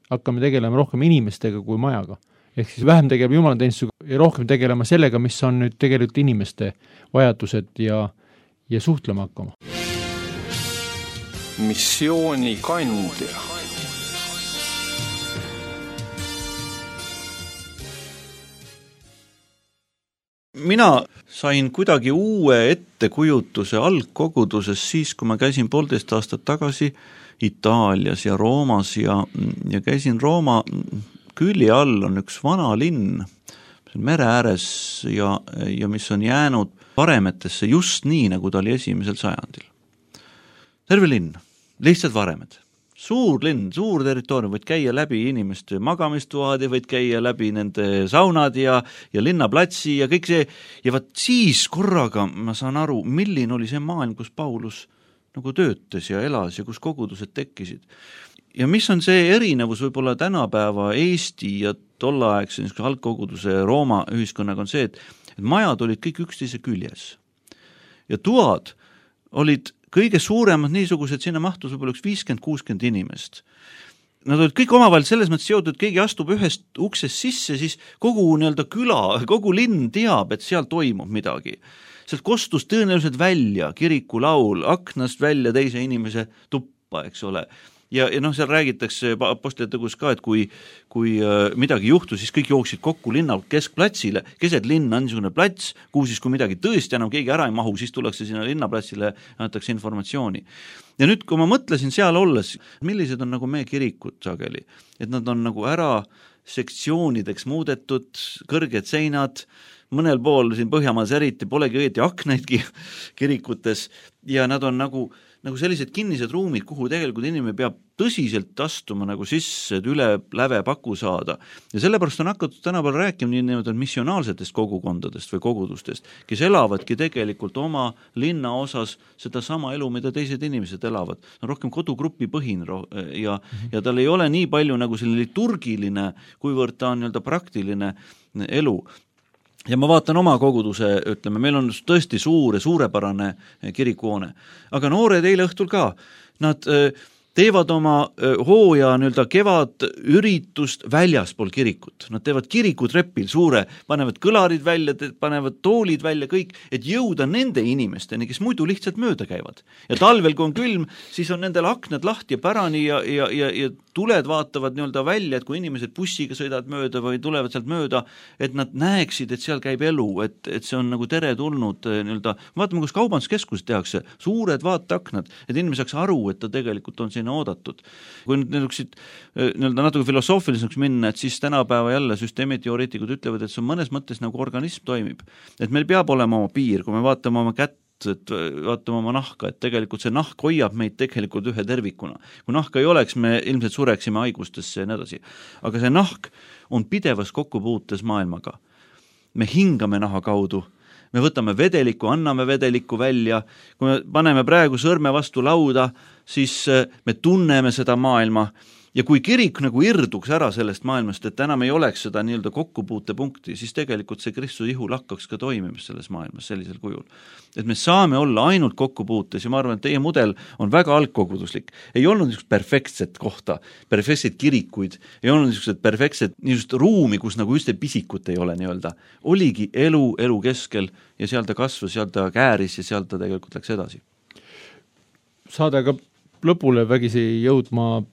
Hakkame tegelema rohkem inimestega kui majaga. Ehk siis vähem tegelema jumalateenistusega ja rohkem tegelema sellega, mis on nüüd tegelikult inimeste vajadused ja suhtlema hakkama. Missiooni kandja. Mina sain kuidagi uue ettekujutuse algkoguduses siis, kui ma käisin 1,5 aastat tagasi Itaalias ja Roomas ja käisin Rooma külje all on üks vana linn, mere ääres ja mis on jäänud varemetesse just nii, nagu ta oli 1. sajandil. Terve linn, lihtsalt varemed. Suur linn, suur territoorium, võid käia läbi inimeste magamistuad ja võid käia läbi nende saunad ja linnaplatsi ja kõik see. Ja vaat siis korraga ma saan aru, milline oli see maailm, kus Paulus nagu töötas ja elas ja kus kogudused tekkisid. Ja mis on see erinevus võib-olla tänapäeva Eesti ja tolleaegse algkoguduse Rooma ühiskonnaga on see, et majad olid kõik üksteise küljes. Ja tuad olid kõige suuremad niisugused, sinna mahtus võib-olla 50-60 inimest. Nad olid kõik omavahel selles mõttes seotud, et keegi astub ühest uksest sisse, siis kogu nii-öelda küla, kogu linn teab, et seal toimub midagi. Sealt kostus tõenäoliselt välja kirikulaul, aknast välja teise inimese tuppa, eks ole. Ja seal räägitakse apostlite tegus ka, et kui midagi juhtus, siis kõik jooksid kokku linna keskplatsile, keset linna on niisugune plats, kuhu siis kui midagi tõesti enam keegi ära ei mahu, siis tullakse sinna linnaplatsile ja antakse informatsiooni. Ja nüüd, kui ma mõtlesin seal olles, millised on nagu meie kirikud sageli, et nad on nagu ära sektsioonideks muudetud, kõrged seinad, mõnel pool siin Põhjamaas eriti polegi õieti aknaidki kirikutes ja nad on nagu sellised kinnised ruumid, kuhu tegelikult inimene peab tõsiselt astuma nagu sisse, et üle läve paku saada. Ja sellepärast on hakatud tänapäeval rääkima nii missionaalsetest kogukondadest või kogudustest, kes elavadki tegelikult oma linna osas seda sama elu, mida teised inimesed elavad. No rohkem kodugrupi põhin ja tal ei ole nii palju nagu selline liturgiline, kuivõrd ta on praktiline elu. Ja ma vaatan oma koguduse, ütleme, meil on tõesti suur ja suurepärane kirikuhoone. Aga noored eile õhtul ka, nad teevad oma hooja kevad üritust väljaspool kirikut. Nad teevad kirikutrepil suure, panevad kõlarid välja, panevad toolid välja, kõik, et jõuda nende inimesteni, kes muidu lihtsalt mööda käivad. Ja talvel, kui on külm, siis on nendel aknad lahti ja pärani ja tuled vaatavad välja, et kui inimesed bussiga sõidavad mööda või tulevad sealt mööda, et nad näeksid, et seal käib elu, et see on nagu tere tulnud. Vaatame, kus kaubanduskeskus tehakse, suured vaateaknad, et inimene saaks aru, et ta tegelikult on sinna oodatud. Kui nüüd natuke filosoofiliseks minna, et siis tänapäeva jälle süsteemiteoreetikud ütlevad, et see on mõnes mõttes nagu organism toimib. Et meil peab olema oma piir, kui me vaatame oma kätt, et vaatame oma nahka, et tegelikult see nahk hoiab meid tegelikult ühe tervikuna. Kui nahka ei oleks, me ilmselt sureksime haigustesse ja nii edasi. Aga see nahk on pidevas kokkupuutes maailmaga. Me hingame naha kaudu, me võtame vedeliku, anname vedeliku välja, kui me paneme praegu sõrme vastu lauda, siis me tunneme seda maailma Ja kui kirik nagu irduks ära sellest maailmast, et enam ei oleks seda nii-öelda kokkupuutepunkti, siis tegelikult see Kristuse ihu lakkaks ka toimimist selles maailmas sellisel kujul. Et me saame olla ainult kokkupuutes ja ma arvan, et teie mudel on väga algkoguduslik. Ei olnud niisugust perfektset kohta, perfektseid kirikuid, ei olnud niisugused perfektset niisugust ruumi, kus nagu üldse pisikut ei ole nii-öelda. Oligi elu keskel ja seal ta kasvas, seal ta kääris ja seal ta tegelikult läks edasi. Saadega lõpule vägisi jõudma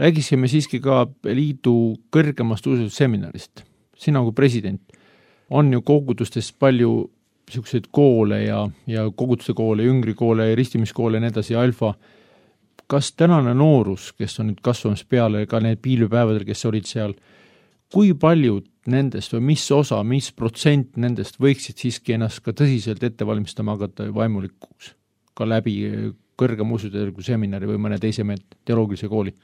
räägisime siiski ka liidu kõrgemast ususeminarist. Sina kui president on ju kogudustes palju selliseid koole ja koguduste koole, jüngrikoole, ristimiskoole ja nii edasi, alfa. Kas tänane noorus, kes on nüüd kasvamas peale, ka need piilüpäevadel, kes olid seal, kui paljud nendest või mis osa, mis protsent nendest võiksid siiski ennast ka tõsiselt ette valmistama hakata vaimulikuks ka läbi kõrgema usuteadliku seminari või mõne teise teoloogilise kooli?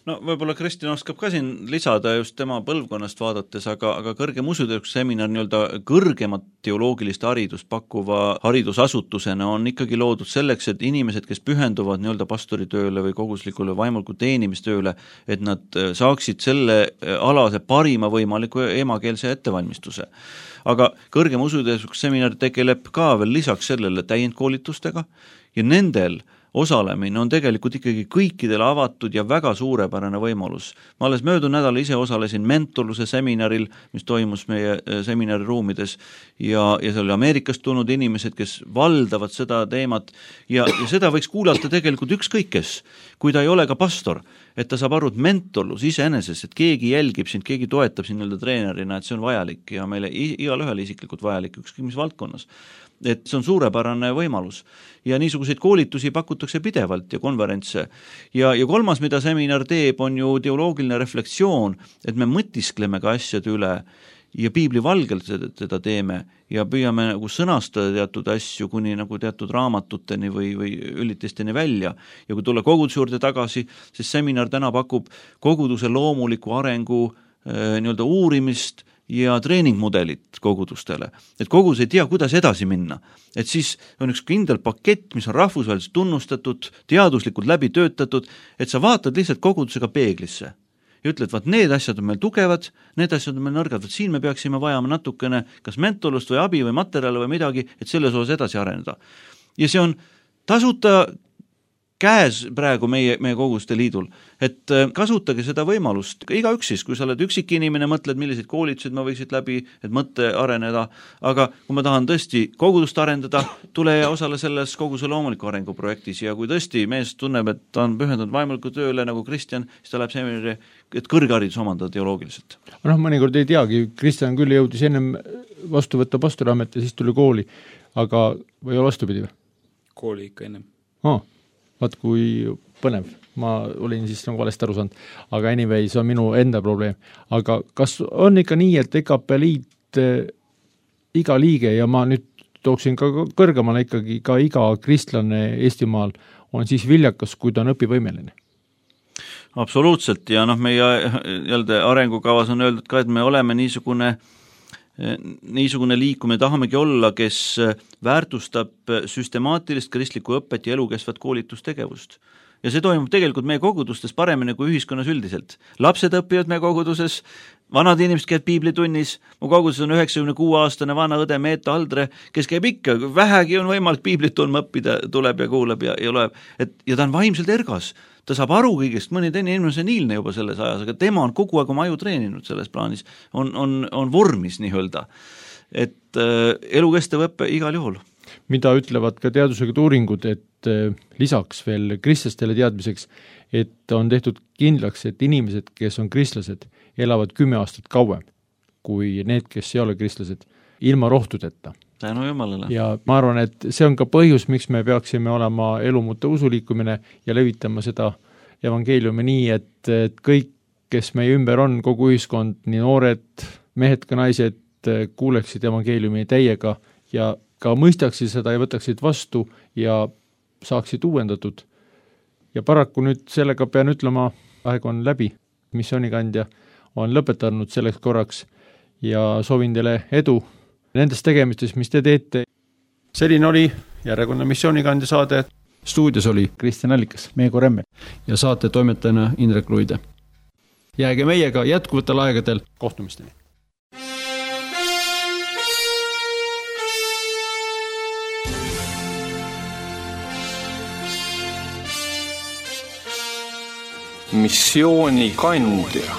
No võib-olla Kristjan oskab ka siin lisada just tema põlvkonnast vaadates, aga kõrgem usuteadliku seminar nii-öelda kõrgemat teoloogilist haridust pakkuva haridusasutusena on ikkagi loodud selleks, et inimesed, kes pühenduvad nii-öelda pastoritööle või koguslikule vaimuliku teenimistööle, et nad saaksid selle alase parima võimaliku emakeelse ettevalmistuse. Aga kõrgem usuteadliku seminar tegeleb ka veel lisaks sellele täiendkoolitustega ja nendel osalemine on tegelikult ikkagi kõikidele avatud ja väga suurepärane võimalus. Ma alles möödunud nädal ise osalesin mentorluse seminaril, mis toimus meie seminari ruumides ja seal oli Ameerikast tulnud inimesed, kes valdavad seda teemat ja seda võiks kuulata tegelikult ükskõik kes, kui ta ei ole ka pastor, et ta saab aru, et mentorlus iseeneses, et keegi jälgib sind, keegi toetab sind nii-öelda treenerina, et see on vajalik ja meile igal ühel isiklikult vajalik ükskõik mis valdkonnas. Et see on suurepärane võimalus ja niisuguseid koolitusi pakutakse pidevalt ja konverentse. Ja kolmas, mida seminar teeb, on ju teoloogiline reflektsioon, et me mõtiskleme ka asjade üle ja piibli valgelt seda teeme ja püüame nagu sõnastada teatud asju kuni nagu teatud raamatuteni või üldisteni välja. Ja kui tulla koguduse juurde tagasi, siis seminar täna pakub koguduse loomuliku arengu nii-öelda uurimist ja treeningmudelit kogudustele. Et kogudus ei tea, kuidas edasi minna. Et siis on üks kindel pakett, mis on rahvusvaheliselt tunnustatud, teaduslikult läbi töötatud, et sa vaatad lihtsalt kogudusega peeglisse ja ütled, vaat need asjad on meil tugevad, need asjad on meil nõrgad, vaat siin me peaksime vajama natukene kas mentorlust või abi või materjale või midagi, et selles osas edasi areneda. Ja see on tasuta käes praegu meie koguduste liidul, et kasutage seda võimalust, igaüks siis, kui sa oled üksik inimene, mõtled, milliseid koolitused ma võiksid läbi, et mõtte areneda, aga kui ma tahan tõesti kogudust arendada, tule ja osale selles koguduse loomuliku arengu projektis ja kui tõesti mees tunneb, et ta on pühendunud vaimuliku tööle nagu Kristjan, siis ta läheb seminari, et kõrgharidus omandada teoloogiliselt. Mõnikord ei teagi, Kristjan küll jõudis ennem vastu võtta pastoriamet ja siis tuli kooli, aga või vastupidi või? Kooli ikka ennem. Vaat kui põnev, ma olin siis nagu valesti aru saanud, aga anyway, see on minu enda probleem. Aga kas on ikka nii, et EKP liit iga liige ja ma nüüd tooksin ka kõrgemale ikkagi ka iga kristlane Eestimaal on siis viljakas, kui ta on õpivõimeline? Absoluutselt ja meie arengukavas on öeldud ka, et me oleme niisugune liikumine tahamegi olla, kes väärtustab süstemaatilist kristlikku õpet ja elukestvat koolitustegevust. Ja see toimub tegelikult meie kogudustes paremini kui ühiskonnas üldiselt. Lapsed õpivad meie koguduses, vanad inimesed käivad piiblitunnis, mu koguduses on 96-aastane vana õde Meeta Aldre, kes käib ikka, vähegi on võimalik piiblit tundma õppida, tuleb ja kuuleb ja loeb. Ja ta on vaimselt ergas. Ta saab aru kõigest, mõni teine inimene on niilne juba selles ajas, aga tema on kogu aeg oma aju treeninud selles plaanis, on vormis nii öelda. Et elukestev õppe igal juhul. Mida ütlevad ka teadusega uuringud, et lisaks veel kristlastele teadmiseks, et on tehtud kindlaks, et inimesed, kes on kristlased, elavad 10 aastat kauem kui need, kes ei ole kristlased, ilma rohtudeta. Tänu Jumalale. Ja ma arvan, et see on ka põhjus, miks me peaksime olema elumuute usuliikumine ja levitama seda evangeeliumi nii, et kõik, kes meie ümber on, kogu ühiskond, nii noored, mehed ka naised, kuuleksid evangeeliumi täiega ja ka mõistaksid seda ja võtaksid vastu ja saaksid uuendatud. Ja paraku nüüd sellega pean ütlema, aeg on läbi. Missioonikandja on lõpetanud selleks korraks ja soovin teile edu nendes tegemistes, mis te teete. Selline oli järjekordne missioonikandja saade. stuudios oli Kristjan Allikas, Meego Remmel ja saate toimetajana Indrek Ruide. Jääge meiega jätkuvatel aegadel, kohtumisteni! Missiooni kandja.